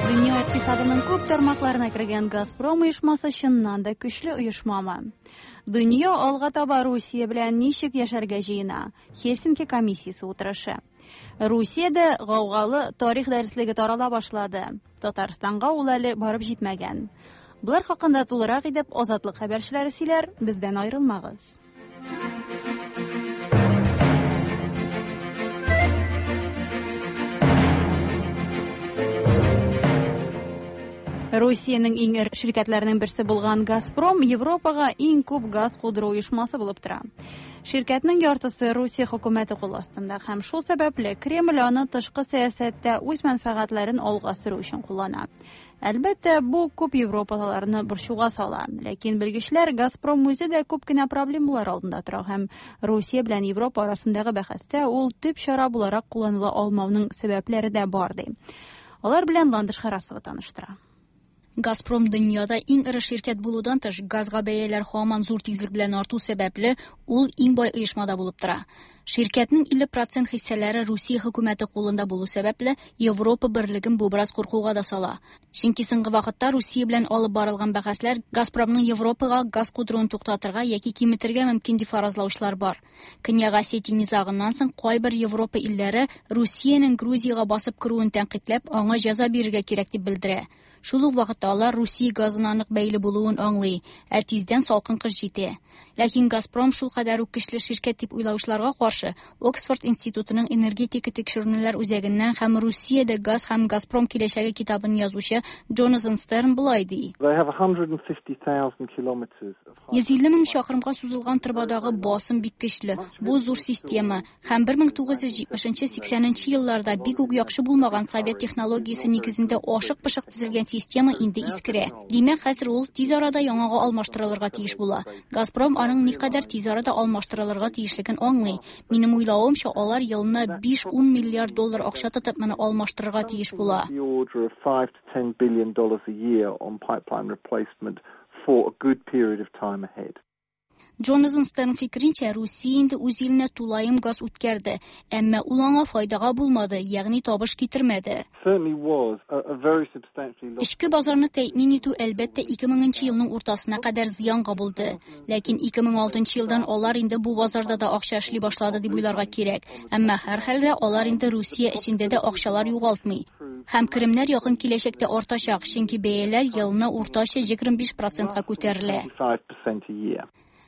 Дөнья икътисадының күп тармакларына кергән Газпром оешмасы чыннан да көчле оешмамы? Дөнья алга таба Русия белән ничек яшәргә җыена? Хельсинки комиссиясе утырышы. Русиядә гаугалы тарих дәреслеге тарала башлады. Татарстанга ул әле барып җитмәгән. Болар хакында тулырак итеп Азатлык хәбәрчеләре сөйләр, бездән аерылмагыз. Русиянең иң эре ширкәтләренең берсе булган Газпром Европага иң күп газ кудыру оешмасы булып тора. Ширкәтнең яртысы Русия хөкүмәте кул астында һәм шул сәбәпле Кремль аны тышкы сәясәттә үз мәнфәгатьләрен алга сөрү өчен куллана. Әлбәттә, бу күп европалыларны борчуга сала. Ләкин белгечләр Газпром үзе дә күп кенә проблемалар алдында тора һәм Русия белән Европа арасындагы бәхәстә ул төп чара буларак кулланыла алмауның сәбәпләре дә бар ди. Алар белән Ландыш Харасова таныштыра. Газпром дөньяда иң эре ширкәт булудан тыш, газга бәяләр һаман зур тизлек белән арту сәбәпле, ул иң бай оешмада булып тора. Ширкәтнең 50% хиссәләре Русия хөкүмәте кулында булу сәбәпле, Европа берлеген бу бераз куркуга да сала. Чөнки соңгы вакытта Русия белән алып барылган бәхәсләр Газпромның Европага газ кудыруын туктатырга яки киметергә мөмкин дип фаразлаучылар бар. Көньяк Осетия низагыннан соң кайбер Европа илләре Русиянең Грузиягә басып керүен тәнкыйтьләп, аңа җәза бирергә кирәк дип белдерә. Шул ук вакытта алар Русия газына нык бәйле булуын аңлый, ә тиздән салкын кыш җитә. Ләкин Газпром шул кадәр үк көчле ширкәт дип уйлаучыларга каршы Оксфорд институтының энергетика тикшеренүләр үзәгеннән һәм Русиядә газ һәм Газпром киләчәге китабын язучы Джонатан Стерн болай ди. 150 мең чакрымга сузылган торбадагы басым бик көчле. Бу зур система һәм 1970-80 елларда бик үк яхшы булмаган совет технологиясе нигезендә ашык-пошык төзелгән система инде искерә. Димәк, хәзер ул тиз арада яңага алмаштырылырга тиеш була. Газпром аның никадәр тиз арада алмаштырылырга тиешлеген аңлый. Минем уйлавымча, алар елына 5-10 миллиард доллар акча тотып моны алмаштырырга тиеш була. Джонатан Стерн фикеренчә, Русия инде үз иленә тулаем газ үткәрде, әмма ул аңа файдага булмады, ягъни табыш китермәде. Эчке базарны тәэмин итү әлбәттә 2000 елның уртасына кадәр зыянга булды. Ләкин 2006 елдан алар инде бу базарда да акча эшли башлады дип уйларга кирәк. Әмма һәрхәлдә алар инде Русия эчендә дә акчалар югалтмый. Һәм керемнәр якын киләчәктә артачак, чөнки бәяләр елына уртача 25%-ка күтәрелә.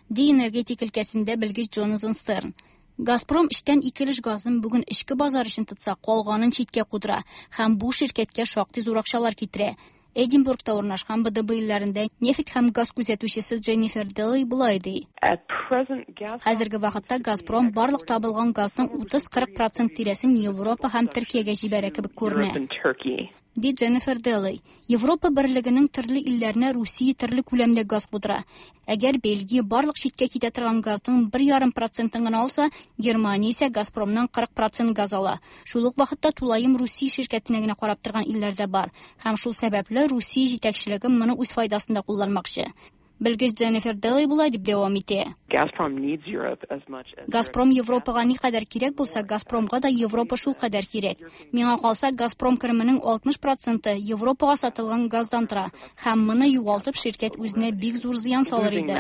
Ди энергетик өлкәсендә белгеч Джонатан Стерн. Газпром эчтән ике өлеш газын бүген эчке базар өчен тотса, калганын читкә кудыра һәм бу ширкәткә шактый зур акчалар китерә. Эдинбургта урнашкан БДБ илләрендә нефть һәм газ күзәтүчесе Дженнифер Делли болай ди. Хәзерге вакытта Газпром барлык табылган газның 30-40% тирәсен Европа һәм Төркиягә җибәрә кебек күренә. Ди Дженнифер Делли. Европа берлегенең төрле илләренә Русия төрле күләмдә газ кудыра. Әгәр Бельгия барлык читкә китә торган газның 1,5%-ын гына алса, Германия исә Газпромнан 40% газ ала. Шул ук вакытта тулаем Русия ширкәтенә генә карап торган илләр дә бар. Һәм шул сәбәпле Русия җитәкчелеге моны үз файдасында кулланмакчы. Белгеч Дженнифер Делли болай дип дәвам итә. Газпром Европага никадәр кирәк булса, Газпромга да Европа шул кадәр кирәк. Миңа калса, Газпром кеременең 60% Европага сатылган газдан тора. Һәм моны югалтып ширкәт үзенә бик зур зыян салыр иде.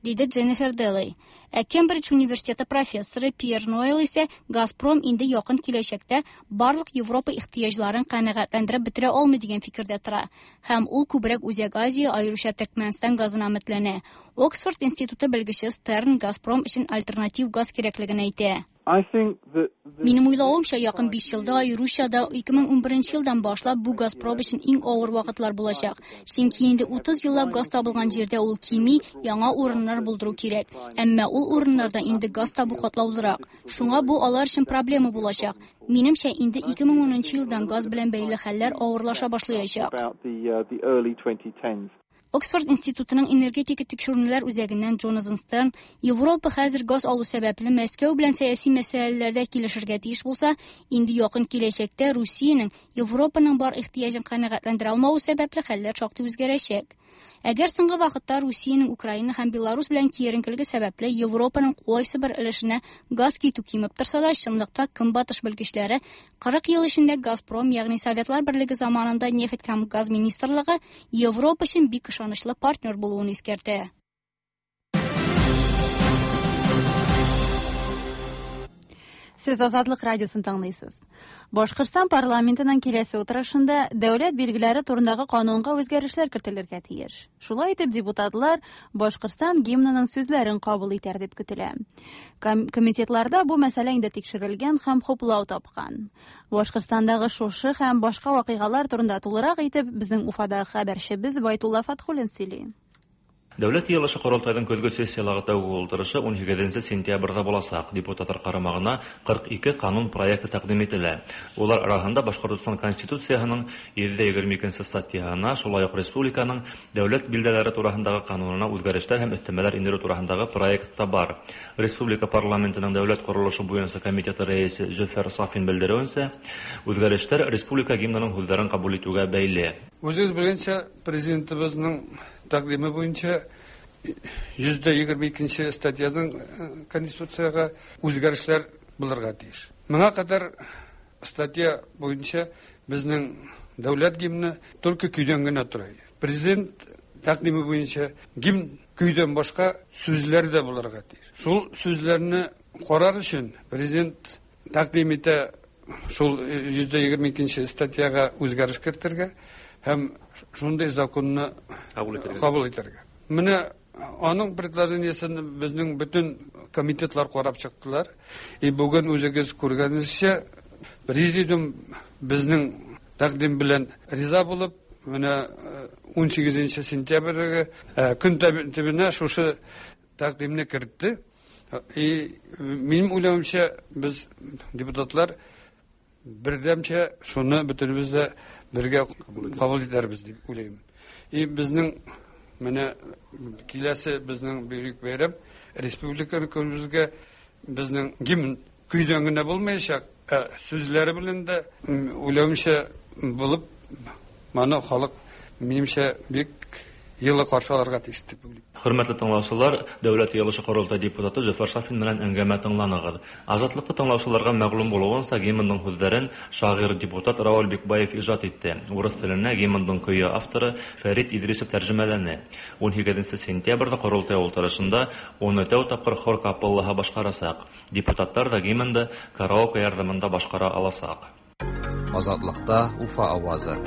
Диде Дженнифер Делей. Ә Кембридж университеты профессоры Пьер Ноэл исә Газпром инде якын киләчәктә барлык Европа ихтыяҗларын канәгатьләндереп бетерә алмый дигән фикердә тора. Һәм ул күбрәк Үзәк Азия, аеруча Төркмәнстан газына өметләнә. Оксфорд институты белгече Стерн Газпром өчен альтернатив газ кирәклеген әйтә. Минем уйлавымча, якын 5 елда, аеруча да 2011 елдан башлап бу Газпром өчен иң авыр вакытлар булачак. Чөнки инде 30 еллап газ табылган җирдә ул кими, яңа урыннар булдыру кирәк. Әмма ул урыннарда инде газ табу катлаулырак. Шуңа бу алар өчен проблема булачак. Минемчә, инде 2010 елдан газ белән бәйле хәлләр авырлаша башлаячак. Оксфорд институтының энергетика тикшеренүләр үзәгеннән Джонатан Стерн Европа хәзер газ алу сәбәпле Мәскәү белән сәяси мәсьәләләрдә килешергә тиеш булса, инде якын киләчәктә Русиянең Европаның бар ихтыяҗын канәгатьләндерә алмавы сәбәпле хәлләр шактый үзгәрәчәк. Әгәр соңгы вакытта Русиянең Украина һәм Беларусь белән киеренкелеге сәбәпле Европаның кайсы бер өлешенә газ китү кимеп торса да, чынлыкта Көнбатыш белгечләре 40 ел эчендә Газпром, ягъни Советлар Берлеге заманында нефть һәм газ министрлыгы Европа өчен бик ышанычлы партнер булуын искәртә. Сез Азатлык радиосын тыңлыйсыз. Башкортстан парламентының киләсе утырышында дәүләт билгеләре турындагы канунга үзгәрешләр кертелергә тиеш. Шулай итеп, депутатлар Башкортстан гимнының сүзләрен кабул итәр дип көтелә. Комитетларда бу мәсьәлә инде тикшерелгән һәм хуплау тапкан. Башкортстандагы шушы һәм башка вакыйгалар турында тулырак итеп безнең Уфадагы хәбәрчебез Байтулла Фатхуллин сөйли. Дәүләт йыелышы Корылтайның көзге сессияләге тәүге ултырышы 18 сентябрьдә булачак. Депутатлар карамагына 42 канун проекты тәкъдим ителә. Улар арасында Башкортостан Конституциясының 122 статьясына, шулай ук республиканың дәүләт билдәләре турасындагы канунына үзгәрешләр һәм өстәмәләр индерү турасындагы проект та бар. Республика парламентының дәүләт корылышы буенча комитеты рәисе Зөфәр Сафин белдерүенчә, үзгәрешләр республика гимнының сүзләрен кабул итүгә бәйле. Үзегез белгәнчә, президентыбызның тәкъдиме буенча 122 статьяның конституциягә үзгәрешләр булырга тиеш. Моңа кадәр статья буенча безнең дәүләт гимны только көйдән генә тора иде. Президент тәкъдиме буенча гимн көйдән башка сүзләр дә булырга тиеш. Шул сүзләрне карар өчен президент тәкъдим итә шул 122 статьяга үзгәреш кертергә һәм шундый законны кабул итәргә. Менә аның предложениесен безнең бөтен комитетлар карап чыктылар. И бүген үзегез күргәнегезчә, президиум безнең тәкъдим белән риза булып, менә 18 сентябрьгә көн тәртибенә шушы тәкъдимне кертте. И минем уйлавымча, без депутатлар бердәмчә шуны бөтенебез дә бергә кабул итәрбез дип уйлыйм. И безнең менә киләсе безнең бөек бәйрәм республика көнебезгә безнең гимн көйдән генә булмаячак, ә сүзләре белән дә уйлавымча булып, моны халык минемчә бик йылы каршы алырга тиеш дип уйлыйм. Хөрмәтле тыңлаучылар, Дәүләт йыелышы Корылтай депутаты Зөфәр Сафин белән әңгәмә тыңланыгыз. Азатлыкта тыңлаучыларга мәгълүм булуынча, гимнның сүзләрен шагыйрь депутат Рауль Бикбаев иҗат итте. Урыс теленә гимнның көе авторы Фәрит Идрисов тәрҗемәләне. 18 сентябрьдә Корылтай утырышында уны тәү тапкыр хор капеллаһы башкарачак. Депутатлар да гимнны караоке ярдәмендә башкара алачак. Азатлыкта Уфа авазы.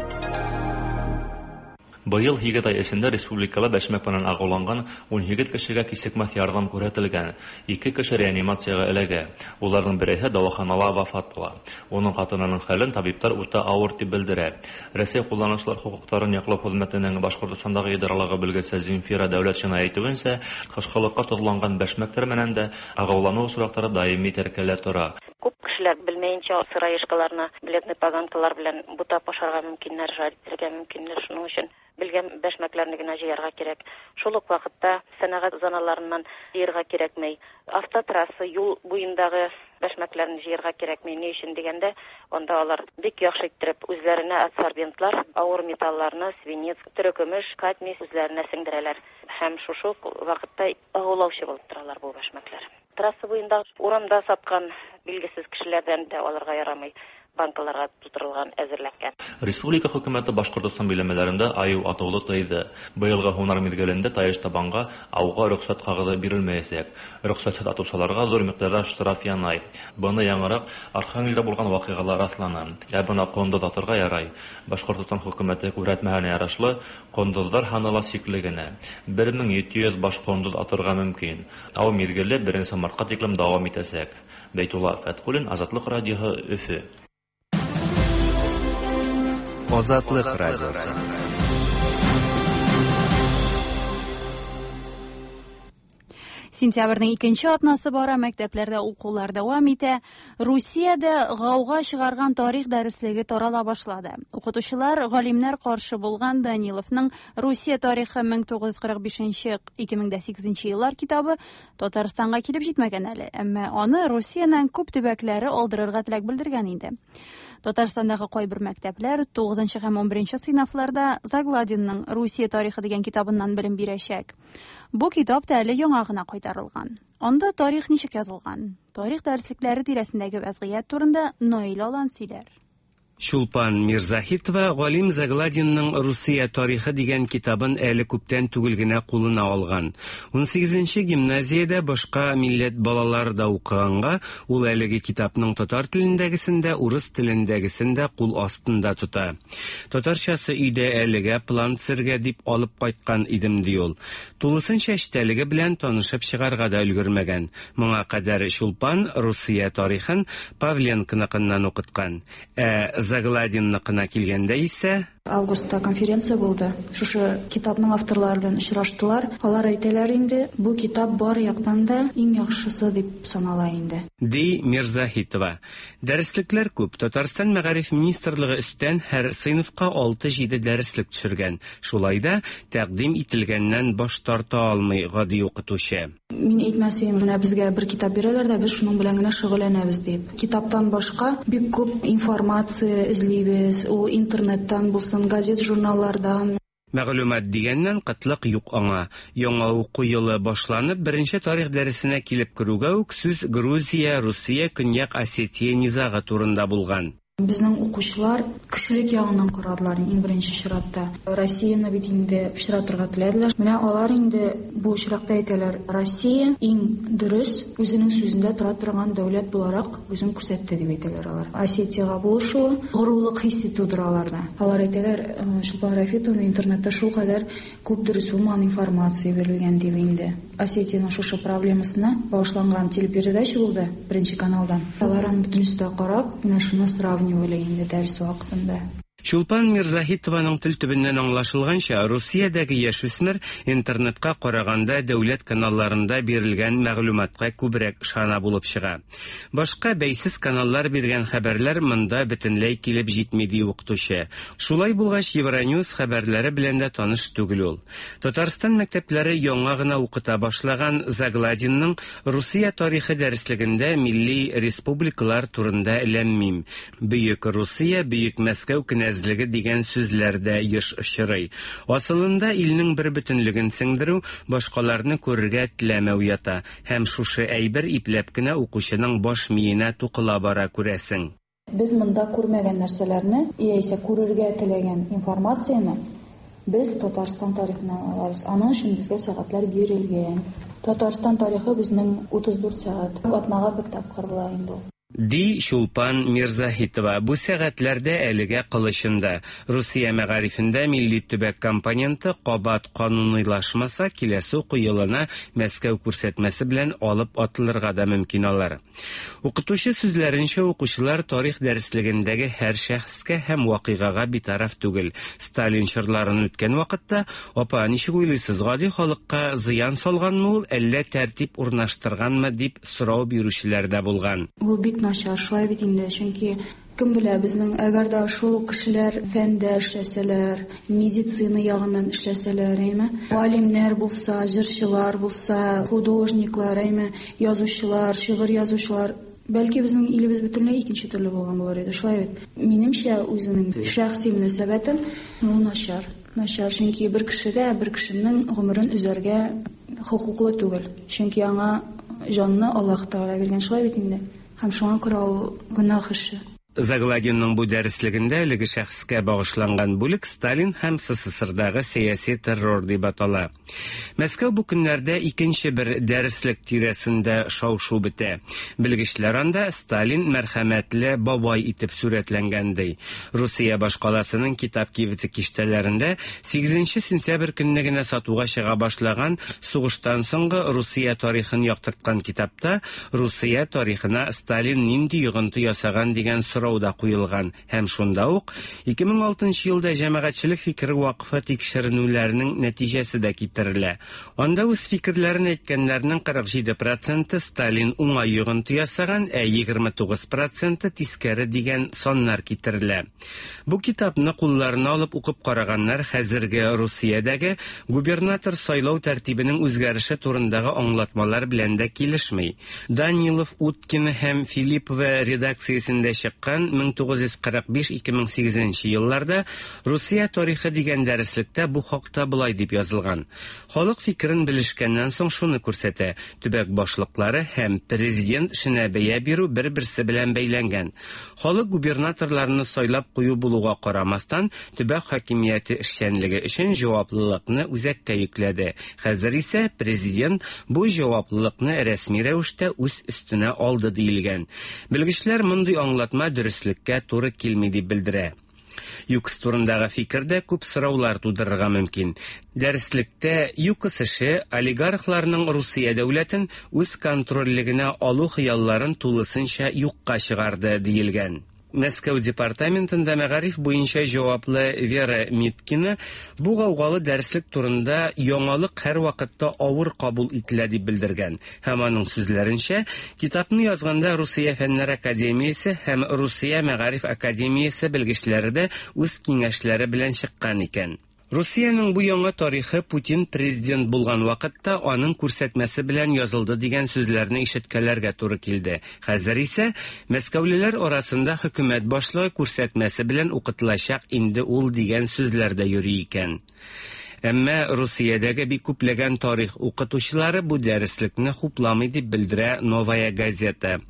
Быел 8 ай эчендә республикала бәшмәк белән агуланган 17 кешегә кисекмәс ярдәм күрсәтелгән. 2 кеше реанимациягә эләгә. Уларның береһе дәваханала вафат була. Уның хатынының хәлен табиблар үтә авыр дип белдерә. Рәсәй кулланучылар хокукларын яклау хезмәтенең Башкортстандагы идаралыгы белгече Земфира Дәүләтшина әйтүенчә, кышкылыкка тозланган бәшмәкләр белән дә агулану очраклары даими теркәлә тора. Күп кешеләр белмәенчә сыроежкаларны бледный поганкалар белән бутап ашарга мөмкиннәр, жарить итәргә мөмкиннәр. Шуның өчен белгән бәшмәкләрне генә җыярга кирәк. Шул ук вакытта сәнәгать зоналарыннан җыярга кирәкми. Автотрасса юл буендагы бәшмәкләрне җыярга кирәкми. Ни өчен дигәндә, анда алар бик яхшы иттереп үзләренә адсорбентлар, авыр металларны, свинец, терекөмеш, кадмий үзләренә сеңдерәләр. Һәм шушы ук вакытта агулаучы булып торалар бу бәшмәкләр. Трасса буенда урамда саткан билгесез кешеләрдән дә алырга ярамый. Банкаларга тутырылган, әзерләнгән. Республика хөкүмәте Башкортостан биләмәләрендә аю атуны тыйды. Быелгы һунар мизгелендә Таеш-Табанга ауга рөхсәт кагызе бирелмәячәк. Рөхсәтсез атучыларга зур микъдарда штраф янай. Быны яңарак Архангельда булган вакыйгалар расланы. Ә бына кондыз атырга ярай. Башкортостан хөкүмәте күрһәтмәһенә ярашлы, кондызлар һаны ла чикле генә. 1700 баш кондыз атырга мөмкин. Ау мизгеле 1 мартка тиклем дәвам итәчәк. Бәйтулла Фәтхуллин, Азатлык радиоһы, Өфе. Азатлык радиосы. Сентябрьнең икенче атнасы бара, мәктәпләрдә укулар дәвам итә. Русиядә гауга чыгарган тарих дәреслеге тарала башлады. Укытучылар, галимнәр каршы булган Даниловның Русия тарихы 1945-2008 еллар китабы Татарстанга килеп җитмәгән әле, әмма аны Русиянең күп төбәкләре алдырырга теләк белдергән инде. Татарстандагы кайбер мәктәпләр 9 һәм 11 сыйныфларда Загладинның Русия тарихы дигән китабыннан белем бирәчәк. Бу китап та әле яңа гына кайтарылган. Анда тарих ничек язылган? Тарих дәреслекләре тирәсендәге вәзгыять турында Наил Алан сөйләр. Чулпан Мирзаһитова галим Загладинның Русия тарихы дигән китабын әле күптән түгел генә кулына алган. 18нче гимназиядә башка милләт балалары да укыганга, ул әлеге китапның татар телендәгесен дә, урыс телендәгесен дә кул астында тота. Татарчасы өйдә әлегә план төзергә дип алып кайткан идем, ди ул. Тулысынча эчтәлеге белән танышып чыгарга да өлгермәгән. Моңа кадәр Чулпан Русия тарихын Павленконыкыннан укыткан. Ә Загладинныкына килгәндә исә... Августта конференция булды. Шушы китапның авторлары белән очраштылар. Алар әйтәләр инде, бу китап бар яктан да иң яхшысы дип санала инде. Ди Мирзаһитова. Дәреслекләр күп. Татарстан мәгариф министрлыгы өстән һәр сыйныфка 6-7 дәреслек төшергән. Шулай да тәкъдим ителгәннән баш тарта алмый гади укытучы. Мин әйтмәс идем, менә безгә бер китап бирәләр дә, без шуның белән генә шөгыльләнәбез дип. Китаптан башка бик күп информация эзлибез, ул интернеттан булсын, газет-журналлардан. Мәгълүмат дигәннән кытлык юк аңа. Яңа уку елы башланып, беренче тарих дәресенә килеп керүгә үк сүз Грузия, Русия, Көньяк Осетия низагы турында булган. Безнең укучылар кешелек ягыннан карадылар иң беренче чиратта. Россияне бит инде пычратырга теләделәр. Менә алар инде бу очракта әйтәләр, Россия иң дөрес, үзенең сүзендә тора торган дәүләт буларак үзен күрсәтте дип әйтәләр алар. Осетиягә булышуы горурлык хисе тудыра аларда. Алар әйтәләр, Чулпан Рафитовна интернетта шулкадәр күп дөрес булмаган информация бирелгән дип инде. Осетиянең шушы проблемасына багышланган телепередача булды Беренче каналдан. Алар аны бөтенесе дә карап, менә шуны сравнивали инде дәрес вакытында. Чулпан Мирзаһитованың тел төбеннән аңлашылганча, Русиядәге яшүсмер интернетка караганда дәүләт каналларында бирелгән мәгълүматка күбрәк ышана булып чыга. Башка бәйсез каналлар биргән хәбәрләр монда бөтенләй килеп җитми, ди укытучы. Шулай булгач, Евроньюс хәбәрләре белән дә таныш түгел ул. Татарстан мәктәпләре яңа гына укыта башлаган Загладинның Русия тарихы дәреслегендә милли республикалар турында ләм-мим. Бөек Русия, Бөек Мәскәү кенәзлеге дигән сүзләр дә еш очрый. Асылында илнең бербөтенлеген сеңдерү, башкаларны күрергә теләмәү ята. Һәм шушы әйбер ипләп кенә укучының баш миенә тукыла бара, күрәсең. Без монда күрмәгән нәрсәләрне, яисә күрергә теләгән информацияне без Татарстан тарихыннан алабыз. Аның өчен безгә сәгатьләр бирелгән. Татарстан тарихы безнең 34 сәгать. Атнага бер тапкыр була инде ул. Ди Чулпан Мирзаһитова. Бу сәгатьләрдә әлегә кылычында. Русия мәгарифендә милли төбәк компоненты кабат кануныйлашмаса, киләсе уку елына Мәскәү күрсәтмәсе белән алып атылырга да мөмкин алар. Укытучы сүзләренчә, укучылар тарих дәреслегендәге һәр шәхескә һәм вакыйгага битараф түгел. Сталин чорларын үткән вакытта, апа, ничек уйлыйсыз, гади халыкка зыян салганмы ул, әллә тәртип урнаштырганмы, дип сорау бирүчеләр дә булган. Ул бик начар, шулай бит инде, чөнки кем белә, безнең әгәр дә шул ук кешеләр фәндә эшләсәләр, медицина ягыннан эшләсәләр, әйме, галимнәр булса, җырчылар булса, художниклар, әйме, язучылар, шигырь язучылар, бәлки безнең илебез бөтенләй икенче төрле булган булыр иде, шулай бит? Минемчә, үземнең шәхси мөнәсәбәтем, ул начар. Начар, чөнки бер кеше дә бер кешенең гомерен өзәргә хокуклы түгел. Чөнки аңа җанны Аллаһ Тәгалә биргән, шулай бит инде? Һәм шуңа күрә ул гөнаһ эше. Загладинның бу дәреслегендә әлеге шәхескә багышланган бүлек Сталин һәм СССРдагы сәяси террор дип атала. Мәскәү бу көннәрдә икенче бер дәреслек тирәсендә шау-шу бетә. Белгечләр анда Сталин мәрхәмәтле бабай итеп сурәтләнгән ди. Русия башкаласының китап кибете киштәләрендә 8 сентябрь көнне генә сатуга чыга башлаган сугыштан соңгы Русия тарихын яктырткан китапта Русия тарихына Сталин нинди йогынты ясаган дигән сорау да куелган һәм шунда ук 2006 елда җәмәгатьчелек фикере вакыфы тикшеренүләренең нәтиҗәсе дә китерелә. Анда үз фикерләрен әйткәннәрнең 47 проценты Сталин уңай йогынты ясаган, ә 29 проценты тискәре дигән саннар китерелә. Бу китапны кулларына алып укып караганнар хәзерге Русиядәге губернатор сайлау тәртибенең үзгәреше турындагы аңлатмалар белән дә килешми. Данилов, Уткина һәм Филиппова редакциясендә чыккан 1945-2008 елларда Русия тарихы дигән дәреслектә бу хакта болай дип язылган. Халык фикерен белешкәннән соң шуны күрсәтә: төбәк башлыклары һәм президент эшенә бәя бирү бер-берсе белән бәйләнгән. Халык губернаторларны сайлап кую булуга карамастан, төбәк хакимияте эшчәнлеге өчен җаваплылыкны үзәккә йөкләде. Хәзер исә президент бу җаваплылыкны рәсми рәвештә үз өстенә алды диелгән. Белгечләр мондый аңлатма дөреслеккә туры килми дип белдерә. ЮКОС турындагы фикер дә күп сораулар тудырырга мөмкин. Дәреслектә ЮКОС эше олигархларның Русия дәүләтен үз контрольлегенә алу хыялларын тулысынча юкка чыгарды диелгән. Мәскәү департаментында мәгариф буенча җаваплы Вера Миткина бу гаугалы дәреслек турында яңалык һәрвакытта авыр кабул ителә дип белдергән. Һәм аның сүзләренчә, китапны язганда Русия Фәннәр академиясе һәм Русия Мәгариф академиясе белгечләре дә үз киңәшләре белән чыккан икән. Русиянең бу яңа тарихы Путин президент булган вакытта аның күрсәтмәсе белән язылды дигән сүзләрне ишеткәләргә туры килде. Хәзер исә мәскәүлеләр арасында хөкүмәт башлыгы күрсәтмәсе белән укытылачак инде ул дигән сүзләр дә йөри икән. Әмма Русиядәге бик күпләгән тарих укытучылары бу дәреслекне хупламый дип белдерә Новая газета.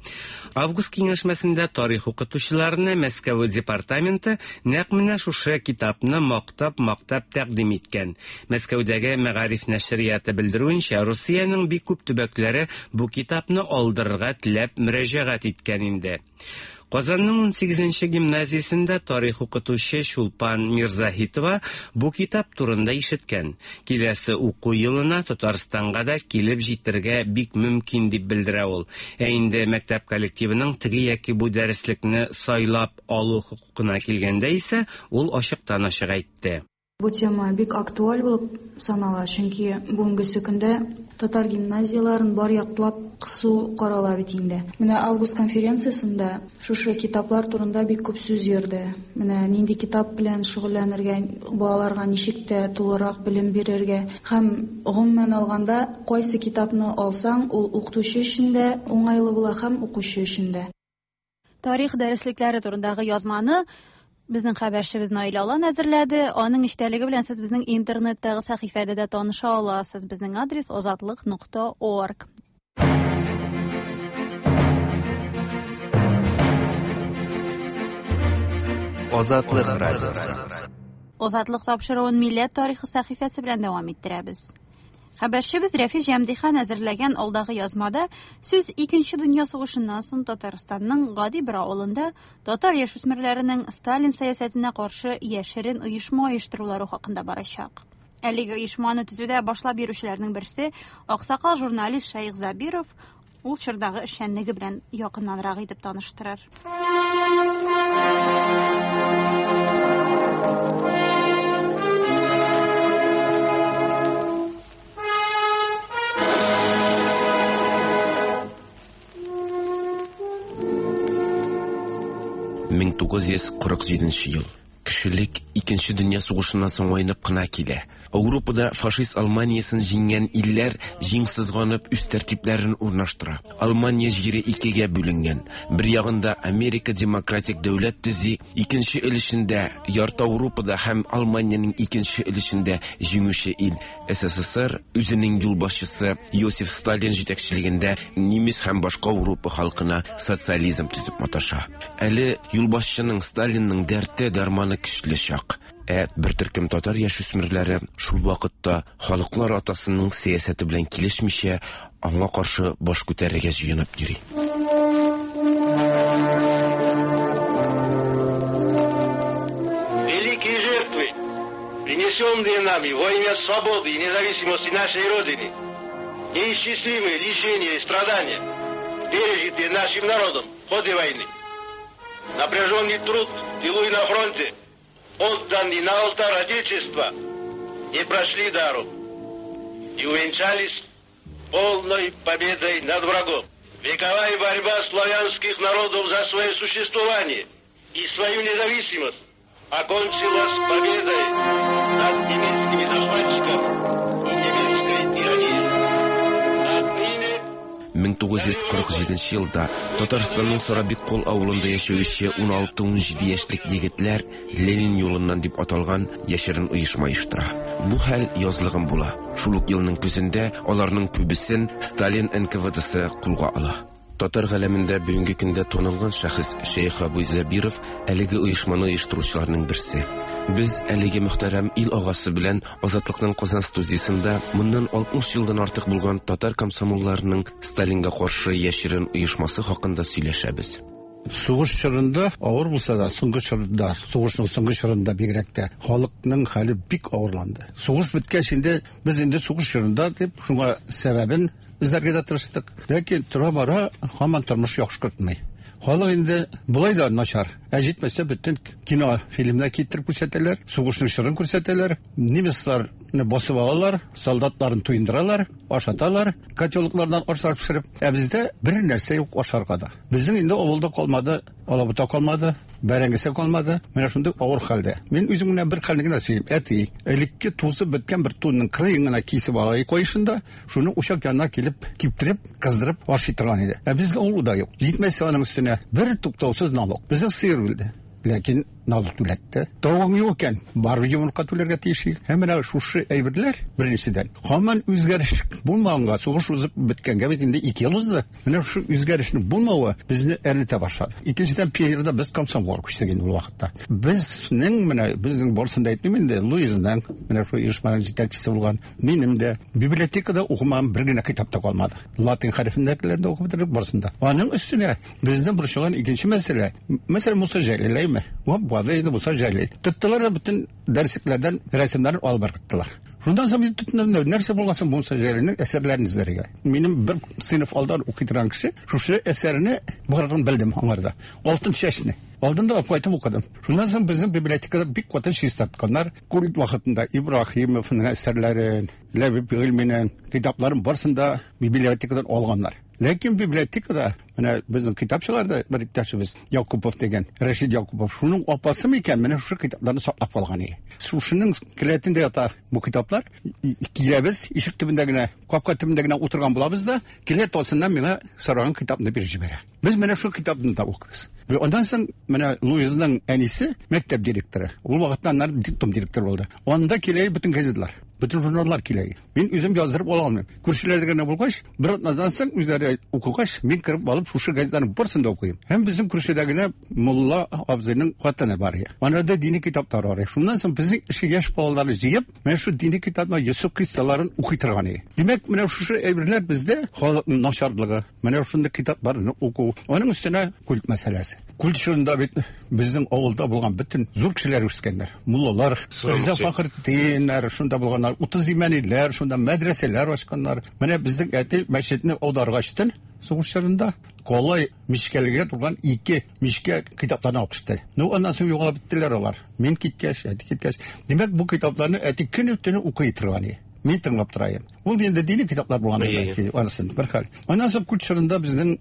Август киңәшмәсендә тарих укытучыларына Мәскәү департаменты нәкъ менә шушы китапны мактап-мактап тәкъдим иткән. Мәскәүдәге Мәгариф нәшрияты белдерүенчә, Русиянең бик күп төбәкләре бу китапны алдырырга теләп мөрәҗәгать иткән инде. Казанның 18нче гимназиясендә тарих укытучы Чулпан Мирзаһитова бу китап турында ишеткән. Киләсе уку елына Татарстанга да килеп җитәргә бик мөмкин дип белдерә ул. Ә инде мәктәп коллективының теге яки бу дәреслекне сайлап алу хокукына килгәндә исә, ул ачыктан-ачык әйтте. Бу тема бик актуаль булып санала, чөнки бүгенгесе көндә татар гимназияләрен бар яклап кысу карала бит инде. Менә август конференциясендә шушы китаплар турында бик күп сүз йөрде. Менә нинди китап белән шөгыльләнергә, балаларга ничек тә тулырак белем бирергә һәм гомумән алганда, кайсы китапны алсаң, ул укытучы өчен дә уңайлы була һәм укучы өчен дә. Тарих дәреслекләре турындагы язманы безнең хәбәрчебез Наилә Алан әзерләде. Аның эчтәлеге белән сез безнең интернеттагы сәхифәдә дә таныша аласыз. Безнең адрес озатлык.орг. Азатлык радиосы. Азатлык тапшыруын милләт тарихы сәхифәсе белән дәвам иттерәбез. Хәбәрчебез Рәфис Җәмдихан әзерләгән алдагы язмада сүз Икенче дөнья сугышыннан соң Татарстанның гади бер авылында татар яшүсмерләренең Сталин сәясәтенә каршы яшерен оешма оештырулары хакында барачак. Әлеге оешманы төзүдә башлап йөрүчеләрнең берсе аксакал журналист Шәех Забиров ул чордагы эшчәнлеге белән якыннанрак итеп таныштырыр. «1947 ел. Кешелек Икенче дөнья сугышыннан соң айнып кына килә. Ауропада фашист Алманиясен җиңгән илләр җиң сызганып үз тәртипләрен урнаштыра. Алмания җире икегә бүленгән. Бер ягында Америка демократик дәүләт төзи, икенче өлешендә ярты Ауропада һәм Алманиянең икенче өлешендә җиңүче ил СССР үзенең юлбашчысы Иосиф Сталин җитәкчелегендә немец һәм башка Ауропа халкына социализм төзеп маташа. Әле юлбашчының Сталинның дәрте, дәрманы көчле чак. Ә бер төркем татар яшүсмерләре шул вакытта халыклар атасының сәясәте белән килешмичә, аңа каршы баш күтәрергә җыенып йөри. Великие жертвы, принесенные нами во имя свободы и независимости нашей Родины, неисчислимые лишения и страдания, пережитые нашим народом в ходе войны, напряженный труд в тылу и на фронте, отданный на алтарь Отечества, не прошли даром и увенчались полной победой над врагом. Вековая борьба славянских народов за свое существование и свою независимость окончилась победой над немецкими захватчиками и немецкой тиранией. Отныне 1947 елда Татарстанның Сарабиккол авылында яшәүче 16-17 яшьлек егетләр Ленин юлыннан дип аталган яшерен оешма оештыра. Бу хәл язлыгын була. Шул ук елның көзендә аларның күбесен Сталин НКВДсы кулга ала. Татар галәмендә бүгенге көндә танылган шәхес Шәех Абый Зәбиров әлеге оешманы оештыручыларның берсе. Без әлеге мөхтәрәм ил агасы белән Азатлыкның Казан студиясендә моннан 60 елдан артык булган татар комсомолларының Сталинга каршы яшерен оешмасы хакында сөйләшәбез. Сугыш чорында авыр булса да, соңгы чорында, сугышның соңгы чорында бигрәк тә халыкның хәле бик авырланды. Сугыш беткәч инде без инде сугыш чорында дип шуңа сәбәбен эзләргә дә тырыштык. Ләкин тора-бара һаман тормыш яхшыртмый. Халык инде болай да начар. Ә җитмәсә бөтен кино фильмнар китереп күрсәтәләр, сугышның чорын күрсәтәләр, немецларны басып алалар, солдатларын туендыралар, ашаталар, котелоклардан ашлар пешереп. Ә бездә бер нәрсә юк ашарга да. Безнең инде авылда калмады, алабута калмады, бәрәңгесе калмады. Менә шундый авыр хәлдә. Мин үзем генә бер хәлне генә сөйлим. Әти, элекке тузып беткән бер тунның кырыен гына кисеп ала куешында, шуны учак янына килеп, киптереп, кыздырып ашый торган иде. Ә безгә ул да юк. Җитмәсә аның өстенә бер туктаусыз налог. Безнең сыер үлде. Ләкин налог түләтте. Тавыгың юк икән, барыбер йомырка түләргә тиеш. Һәм менә шушы әйберләр беренчедән. Һаман үзгәреш булмаганга, сугыш узып беткәнгә бит инде 2 ел узды. Менә шушы үзгәрешнең булмавы безне әрнетә башлады. Икенчедән, пионерда без комсомолга күчтек инде ул вакытта. Безнең менә безнең барысын да әйтмим инде, Луизның менә шул оешманың җитәкчесе булган, минем дә библиотекада укымаган бер генә китап та калмады. Латин хәрефендәгеләрне дә укып бетердек барысын да. Аның өстенә безне борчыган икенче мәсьәлә, мәсәлән, Муса Җәлил, әйме? Вап-вады инде Муса Җәлил. Тоттылар да бөтен дәреслекләрдән рәсемнәрен алып ыргыттылар. Шуннан соң мин тотындым, нәрсә булган соң Муса Җәлилнең әсәрләрен эзләргә. Минем бер сыйныф алдан укый торган кеше шушы әсәрне барлыгын белдем аңарда. Алтын чәчне. Алдым да кайтып укыдым. Шуннан соң безнең библиотекада бик каты чистартканнар. Культ вакытында Ибраһимовның әсәрләрен, Ләбиб Гыйльминең китапларын барысын да библиотекадан алганнар. Ләкин библиотекада менә безнең китап чыгарды бер иптәшебез Якупов дигән, Рәшид Якупов. Шуның апасы микән, менә шушы китапларны саклап калган иде. Шушының келәтендә ята бу китаплар. Киләбез, ишек төбендә генә, капка төбендә генә утырган булабыз да, келәт астыннан миңа сораган китапны биреп җибәрә. Без менә шул китапны да укыбыз. Аннан соң менә Луизның әнисе мәктәп директоры. Ул вакытта аннары детдом директоры булды. Анда килә бөтен газетлар, бөтен журналлар килә. Мин үзем яздырып ала алмыйм. Күршеләрдә генә булгач, бер атнадан соң үзләре укыгач, мин кереп алып шушы газетларның барысын да укыйм. Һәм безнең күршедә генә мулла абзыйның хатыны бар иде. Анарда дини китаплар бар. Шуннан соң безнең эше яшь балаларны җыеп, менә шу дини китаплар Йосыф кыйссаларын укый торган иде. Димәк, менә шушы әйберләр бездә халыкның начарлыгы, менә шундый китапларны уку. Аның өстенә культ мәсьәләсе. Культ чорында бит безнең авылда булган бөтен зур кешеләр үскәннәр. Муллалар, Риза Фәхретдиннәр шунда булганнар, 30 имәниләр шунда мәдрәсәләр ачканнар. Менә безнең әти мәчетне аударгачтын сугыш чорында калай мичкәлегә тулган 2 мичкә китапларны алып төште. Ну, аннан соң югалып беттеләр алар. Мин киткәч, әти киткәч. Димәк, бу китапларны әти көне-төне укый торган иде. Мин тыңлап торайым. Ул инде дини китаплар булган бәлки, анысын бер хәл. Аннан соң культ чорында безнең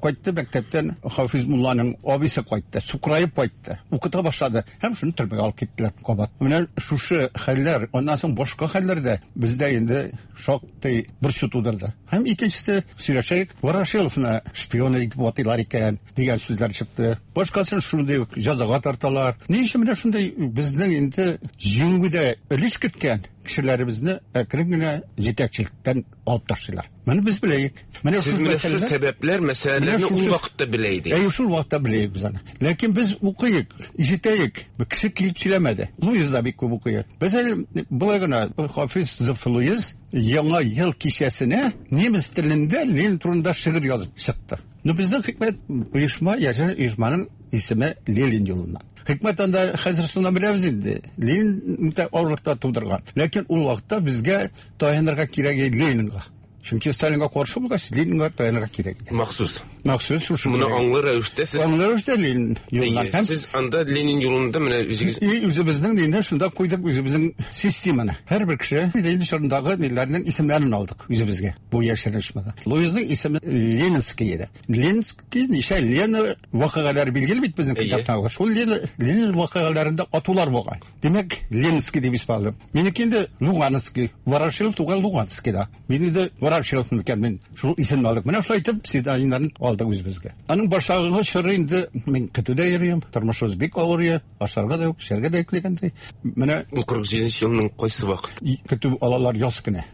кайтты мәктәптән Хафиз мулланың абыйсы кайтты, сукыраеп кайтты, укыта башлады һәм шуны төрмәгә алып киттеләр кабат. Менә шушы хәлләр, аннан соң башка хәлләр дә бездә инде шактый борчу тудырды. Һәм икенчесе, сөйләшәйек, Ворошиловны шпион итеп атыйлар икән дигән сүзләр чыкты. Башкасын шундый ук җәзага тарталар. Ни өчен менә шундый безнең инде җиңүгә өлеш керткән кешеләребезне әкрен генә җитәкчелектән алып ташлыйлар. Моны без беләек. Менә шул мәсьәләләр, сәбәпләр, мәсьәләләрне ул вакытта белә идек. Әйе, шул вакытта белә идек без аны. Ләкин без укыйк, ишетәек. Кеше килеп сөйләмәде. Луиз да бик күп укый. Без әле болай гына Хафиз Зөф Луиз Яңа ел кичәсенә немец телендә Ленин турында шигырь язып чыкты. Но безнең хикмәт оешма, яшерен оешманың исеме Ленин юлыннан. Хикмәт анда хәзер шуны беләбез инде. Ленин үтә авырлыкта тудырган. Ләкин ул вакытта безгә таянырга кирәк иде Ленинга. Чөнки Сталинга каршы булгач, Ленинга таянырга кирәк иде. Махсус. Махсус шушы. Моны аңлы рәвештә сез Аңлы рәвештә Ленин юлыннан. Һәм сез анда Ленин юлында менә үзегез И үзебезнең нинде шунда куйдык үзебезнең системаны. Һәрбер кеше Ленин чорындагы ниләрнең исемнәрен алдык үзебезгә. Бу яшерен оешмада. Луизның исеме Ленинский иде. Ленинский ничә Лена вакыйгалары билгеле бит безнең китапта. Шул Лена Ленин вакыйгаларында атулар булган. Димәк, Ленинский дип исем алдым. Минеке инде Луганский. Ворошилов туган Луганскийда. Мин инде Ворошилов микән мин шул исемне алдык. Менә шулай итеп псевдонимнарын алдык үзебезгә. Аның башлангыч чоры инде мин көтүдә йөрим, тормышыбыз бик авыр, ашарга да юк, эчәргә дә юк дигәндәй. Менә бу 47 елның кайсы вакыт? Көтү алалар яз көне.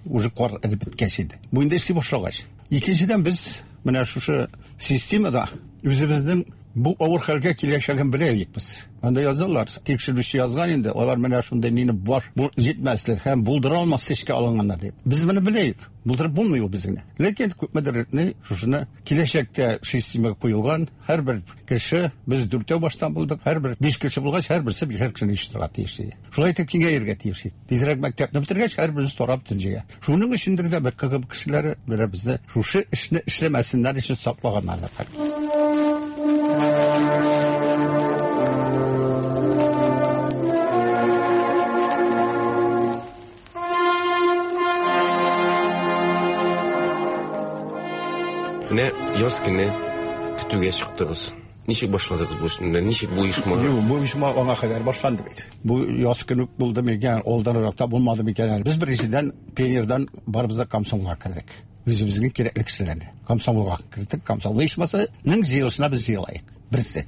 Уже кар эреп беткәч инде. Бу инде эшли башлагач. Икенчедән без менә шушы системада үзебезнең бу авыр хәлгә киләчәген белә идек без. Анда язалар, тикшерүче язган инде, алар менә шундый нине баш бу җитмәслек һәм булдыра алмас эшкә алынганнар дип. Без моны беләек, булдырып булмый ул безне. Ләкин күпмедер ни шушыны киләчәктә системага куелган һәрбер кеше, без дүртәү баштан булдык, һәрбер биш кеше булгач, һәрберсе бишәр кешене оештырырга тиеш иде. Шулай итеп киңәергә тиеш иде. Тизрәк мәктәпне бетергәч, һәрберебез тарап төнҗегә. Шуның өчендер дә бер КГБ кешеләре менә безне шушы эшне эшләмәсеннәр өчен саклаганнар. Менә яз көне көтүгә чыктыгыз. Ничек башладыгыз бу эшне? Ничек бу оешма? Юк, бу оешма аңа кадәр башланды бит. Бу яз көне үк булды микән, алданрак та булмады микән әле. Без беренчедән пионердан барыбыз да комсомолга кердек. Үзебезнең кирәкле кешеләрне комсомолга кердек. Комсомол оешмасының җыелышына без җыелаек. Берсе.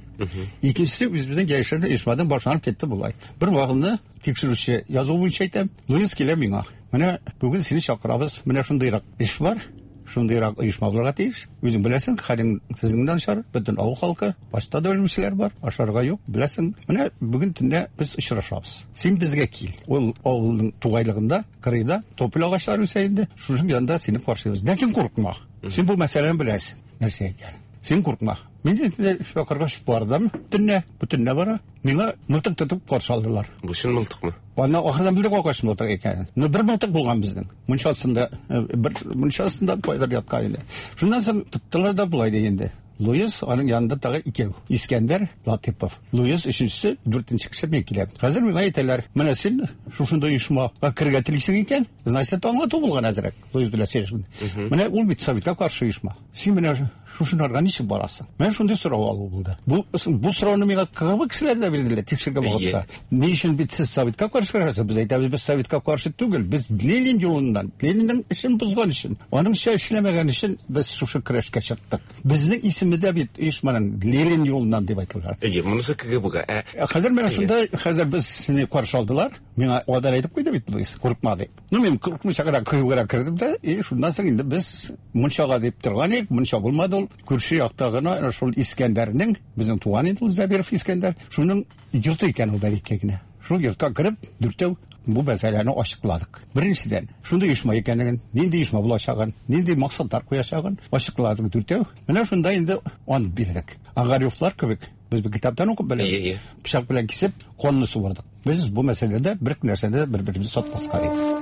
Икенчесе үзебезнең яшерен оешмадан башланып китте болай. Бер вакытны тикшерүче язу буенча әйтәм, Луис килә миңа. Менә бүген сине чакырабыз. Менә шундыйрак эш бар. Шундыйрак оешма булырга тиеш. Үзең беләсең, хәлең сезнең дә начар, бөтен авыл халкы, башта да үлүчеләр бар, ашарга юк, беләсең. Менә бүген төнлә без очрашабыз. Син безгә кил. Ул авылның тугайлыгында, кырыйда тополь агачлары үсә инде. Шуның янында сине каршылыйбыз. Ләкин куркма. Син бу мәсьәләне беләсең, нәрсә икән. Син куркма. Мин инде чакыргач бардым. Төнлә, бу төнлә бара. Миңа мылтык тотып каршы алдылар. Бу чын мылтыкмы? Аны ахырдан белдек агач мылтык икәнен. Но бер мылтык булган безнең. Мунчасында, бер мунчасында кайдыр яткан иде. Шуннан соң тоттылар да болай ди инде. Луис, аның янында тагы икәү. Искәндәр Латыпов. Луис өченчесе, дүртенче кеше мин киләм. Хәзер миңа әйтәләр, менә син шушында оешмага керергә телисең икән, значит, аңлату булган әзрәк. Луис белән сөйләшкән. Менә ул бит советка каршы оешма. Син менә шушынарга ничек барасың? Менә шундый сорау алу булды. Бу бу сорауны миңа КГБ кешеләре дә бирделәр тикшергән вакытта. Ни өчен бит сез советка каршы көрәшәсез? Без әйтәбез, без советка каршы түгел, без Ленин юлыннан, Ленинның эшен бозган өчен, аныңча эшләмәгән өчен без шушы көрәшкә чыктык. Безнең исеме дә бит оешманың Ленин юлыннан дип әйтелгән. Әйе, монысы КГБга. Ә хәзер менә шунда, хәзер без каршы алдылар. Миңа алдан әйтеп куйды бит, Луис, курыкма дип. Ну, мин курыкмыйча гына кыю гына кердем дә, и шуннан соң инде без мунчага дип торган идек, мунча булмады ул. Күрше якта гына шул Искәндәрнең, безнең туган инде ул Зәбиров Искәндәр, шуның йорты икән ул бәләкәй генә. Шул йортка кереп, дүртәү бу мәсьәләне ачыкладык. Беренчедән, шундый оешма икәнлеген, нинди оешма булачагын, нинди максатлар куячагын ачыкладык дүртәү. Менә шунда инде ант бирдек. Огаревлар кебек без бу китаптан укып беләбез. Пычак белән кисеп, канны суырдык. Без бу мәсьәләдә бер нәрсәне дә бер-беребезне сатмаска дип.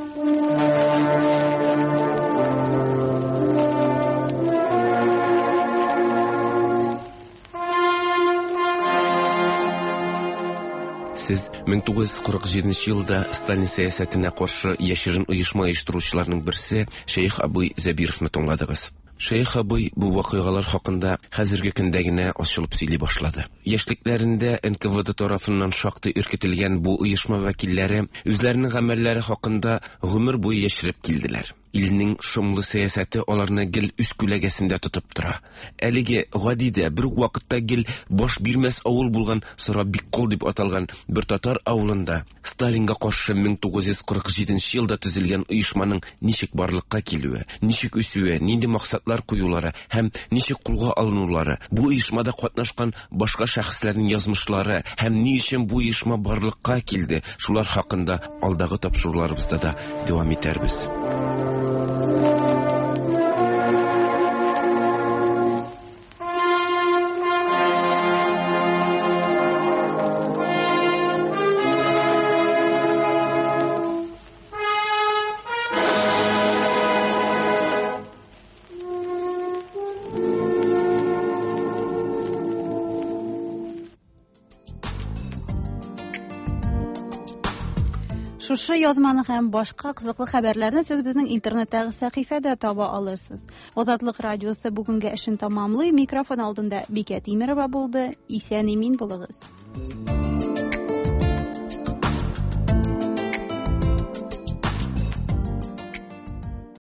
Сез 1947 елда Сталин сәясәтенә каршы яшерен оешма оештыручыларның берсе Шәех абый Зәбировны тыңладыгыз. Шәех абый бу вакыйгалар хакында хәзерге көндә генә ачылып сөйли башлады. Яшьлекләрендә НКВД тарафыннан шактый өркетелгән бу оешма вәкилләре үзләренең гамәлләре хакында гомер буе яшереп килделәр. Илнең шомлы сәясәте аларны гел үз күләгәсендә тотып тора. Әлеге гади дә, бер үк вакытта гел баш бирмәс авыл булган Сорабиккол дип аталган бер татар авылында Сталинга каршы 1947 елда төзелгән оешманың ничек барлыкка килүе, ничек үсүе, нинди максатлар куюлары һәм ничек кулга алынулары, бу оешмада катнашкан башка шәхесләрнең язмышлары һәм ни өчен бу оешма барлыкка килде, шулар хакында алдагы тапшыруларыбызда да дәвам итәрбез. Шушы язманы һәм башка кызыклы хәбәрләрне сез безнең интернеттагы сәхифәдә таба алырсыз. Азатлык радиосы бүгенге эшен тәмамлый. Микрофон алдында Бикә Тимерова булды. Исән имин булыгыз.